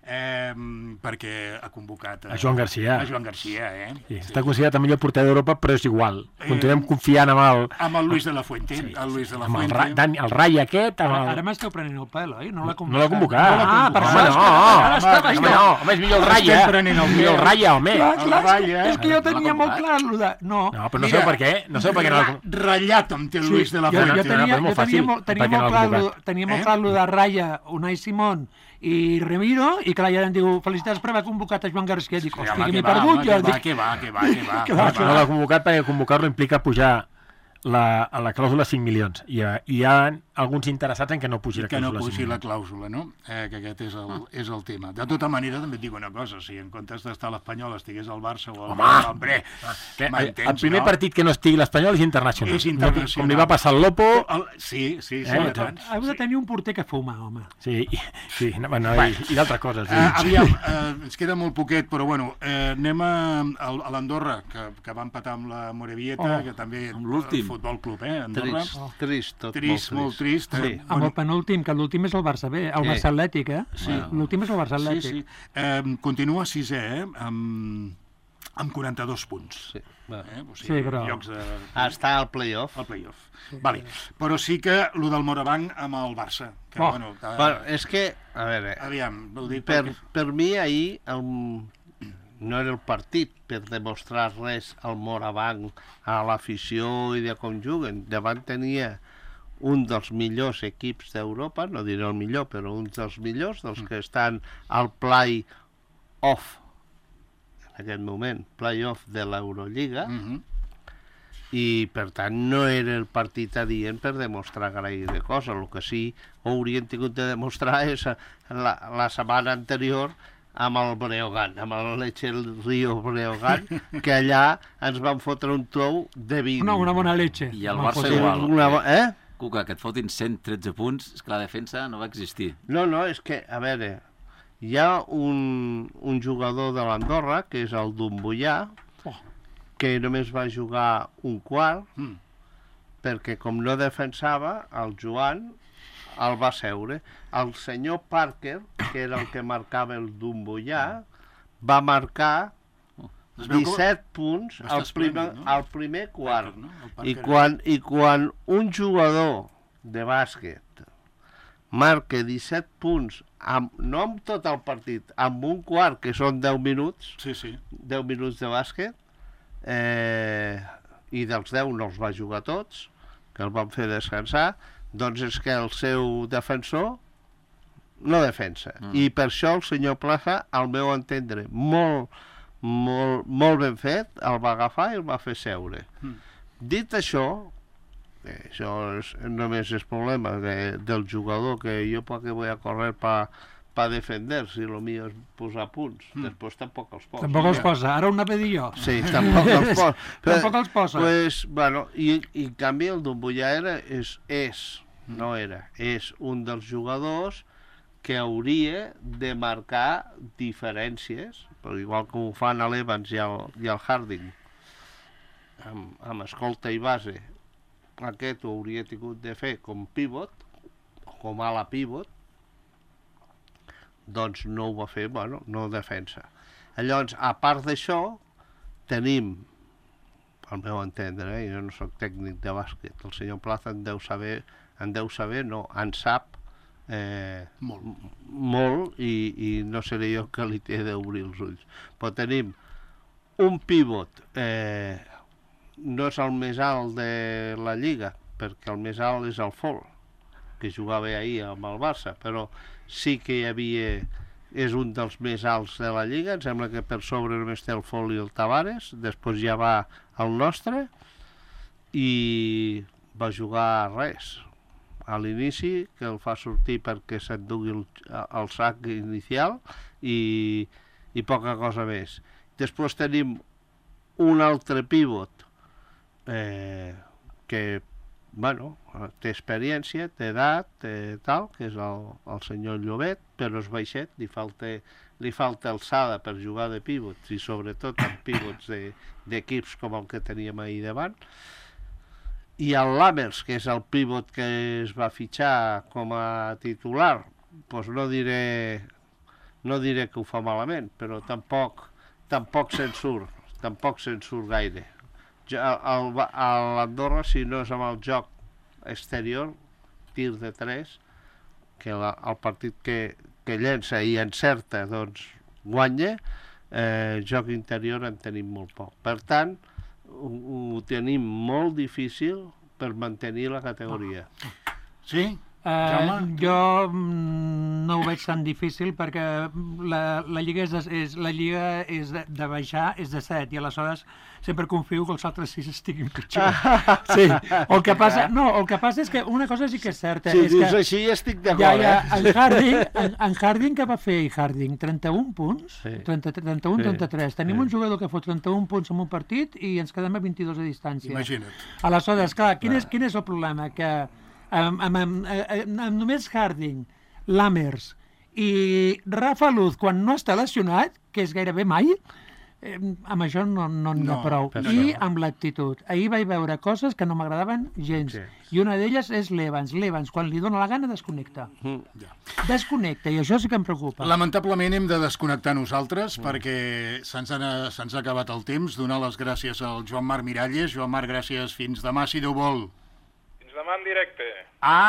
perquè ha convocat a Joan Garcia. Sí, està considerat el millor porter d'Europa, però és igual. Continuem confiant amb el Luis de la Fuente. El Rai aquest... Ara m'esteu prenent el pèl, oi? No l'ha convocat. Home, és millor el Raya. Millor el Raya, home. És que jo tenia molt clar el de... No, però no sé per què. Ratllat amb el Luis de la Fuente. Jo tenia molt clar el de Raya, Unai Simón i Remiro, i clar, ja em diu felicitats per haver convocat a Joan Garcia. Dic, hòstia, que m'he perdut. Que va. No l'ha convocat perquè convocar-lo implica pujar la clàusula 5 milions. I hi ha alguns interessats en que no pugi la clàusula. Que no pugi la clàusula, no? Que aquest és el tema. De tota manera, també et dic una cosa, si en comptes d'estar l'Espanyol estigués al Barça o al Madrid, el primer partit que no estigui l'Espanyol és internacional. És internacional. Com li va passar al Lopo... Sí. Heu de tenir un porter que fuma, home. Sí, i d'altres coses. Aviam, ens queda molt poquet, però bueno, anem a l'Andorra, que va empatar amb la Morevieta, que també... L'últim. Futbol Club, Andorra. Trist, molt trist. Amb el penúltim, que l'últim és el Barça B, el Barça Atlètic, Sí. L'últim és el Barça Atlètic. Sí. Continua 6è, amb 42 punts. Sí, però... Està al play-off. Vale. Però sí que el del Morabanc amb el Barça. És que, a veure, aviam, per mi ahir no era el partit per demostrar res al Morabanc, a l'afició i de com juguen. Davant tenia un dels millors equips d'Europa, no diré el millor, però un dels millors, dels que estan al play-off, en aquest moment, play-off de l'Eurolliga, i per tant no era el partit adient per demostrar gaire cosa. El que sí haurien tingut de demostrar és la setmana anterior amb el Breogán, amb el Leche Río Breogán, que allà ens van fotre un tou de 20. Una bona leche. I el Barça igual. Cuca, que et fotin 113 punts, és que la defensa no va existir. No, és que, a veure, hi ha un jugador de l'Andorra, que és el Dumbullà, que només va jugar un quart, perquè com no defensava, el Joan el va seure. El senyor Parker, que era el que marcava el Dumbullà, va marcar 17 punts al primer quart. I quan un jugador de bàsquet marca 17 punts, no amb tot el partit, amb un quart, que són 10 minuts, 10 minuts de bàsquet, i dels 10 no els va jugar tots, que el van fer descansar, doncs és que el seu defensor no defensa. I per això el senyor Plaza, al meu entendre, molt ben fet, el va agafar i el va fer seure. Dit això només és problema del jugador, que jo perquè voy a correr para defender, si lo mío es posar punts. Després tampoc els posa. Tampoc els posa. Ara ho anava a dir jo. Sí, tampoc els posa. Tampoc els posa. Pues, bueno, i en canvi el Dumbullà és un dels jugadors que hauria de marcar diferències, però igual que ho fan l'Evans i el Harding, amb escolta i base. Aquest ho hauria tingut de fer com pivot, com ala pivot, doncs no ho va fer, no defensa. Llavors, a part d'això, tenim, al meu entendre, jo no soc tècnic de bàsquet, el senyor Plaza en deu saber, en sap molt, i no seré jo que li té d'obrir els ulls. Però tenim un pivot, no és el més alt de la Lliga, perquè el més alt és el Fol, que jugava ahir amb el Barça, però sí que hi havia, és un dels més alts de la Lliga, em sembla que per sobre només té el Fol i el Tavares, després ja va el nostre, i va jugar res a l'inici, que el fa sortir perquè s'endugui el sac inicial, i poca cosa més. Després tenim un altre pivot que té experiència, té edat, tal, que és el senyor Llobet, però és baixet, li falta alçada per jugar de pivots, i sobretot en pivots d'equips com el que teníem ahir davant. I el Lammers, que és el pivot que es va fitxar com a titular, doncs no diré que ho fa malament, però tampoc se'n surt gaire. A l'Andorra, si no és amb el joc exterior, tir de 3, que el partit que llença i encerta, doncs guanya, joc interior en tenim molt poc. Per tant, ho tenim molt difícil per mantenir la categoria. Sí? Jo no ho veig tan difícil perquè la lliga és de baixar, és de 7, i aleshores sempre confio que els altres 6 estiguin pitjor. Sí. El que passa és que una cosa sí que és certa. Si dius així estic d'acord. En Harding, què va fer Harding? 31 punts? 31-33. Tenim un jugador que fot 31 punts en un partit i ens quedem a 22 de distància. Imagina't. Aleshores, clar, quin és el problema? Que amb només Harding, Lammers i Rafa Luz, quan no està lesionat, que és gairebé mai, amb això no n'hi ha prou. I amb l'actitud. Ahir vaig veure coses que no m'agradaven gens. I una d'elles és l'Evans. L'Evans, quan li dóna la gana, desconnecta. Desconnecta, i això sí que em preocupa. Lamentablement hem de desconnectar nosaltres perquè se'ns ha acabat el temps. Donar les gràcies al Joan Marc Miralles. Joan Marc, gràcies. Fins demà, si Déu vol. Demà en directe.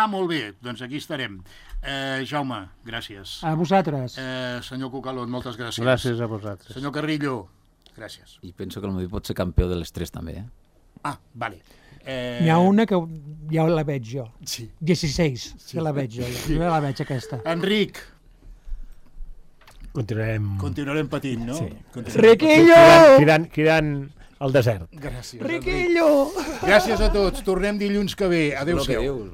Molt bé, doncs aquí estarem. Jaume, gràcies. A vosaltres. Senyor Cucalón, moltes gràcies. Gràcies a vosaltres. Senyor Carrillo, gràcies. I penso que el Madrid pot ser campió de les 3 també, Vale. N'hi ha una que ja la veig jo. Sí. 16, ja la veig jo. Jo ja la veig, aquesta. Enric. Continuarem patint, no? Sí. Riquillo! Cridant al desert. Gràcies, Riquillo! Gràcies a tots. Tornem dilluns que ve. Adéu-siau.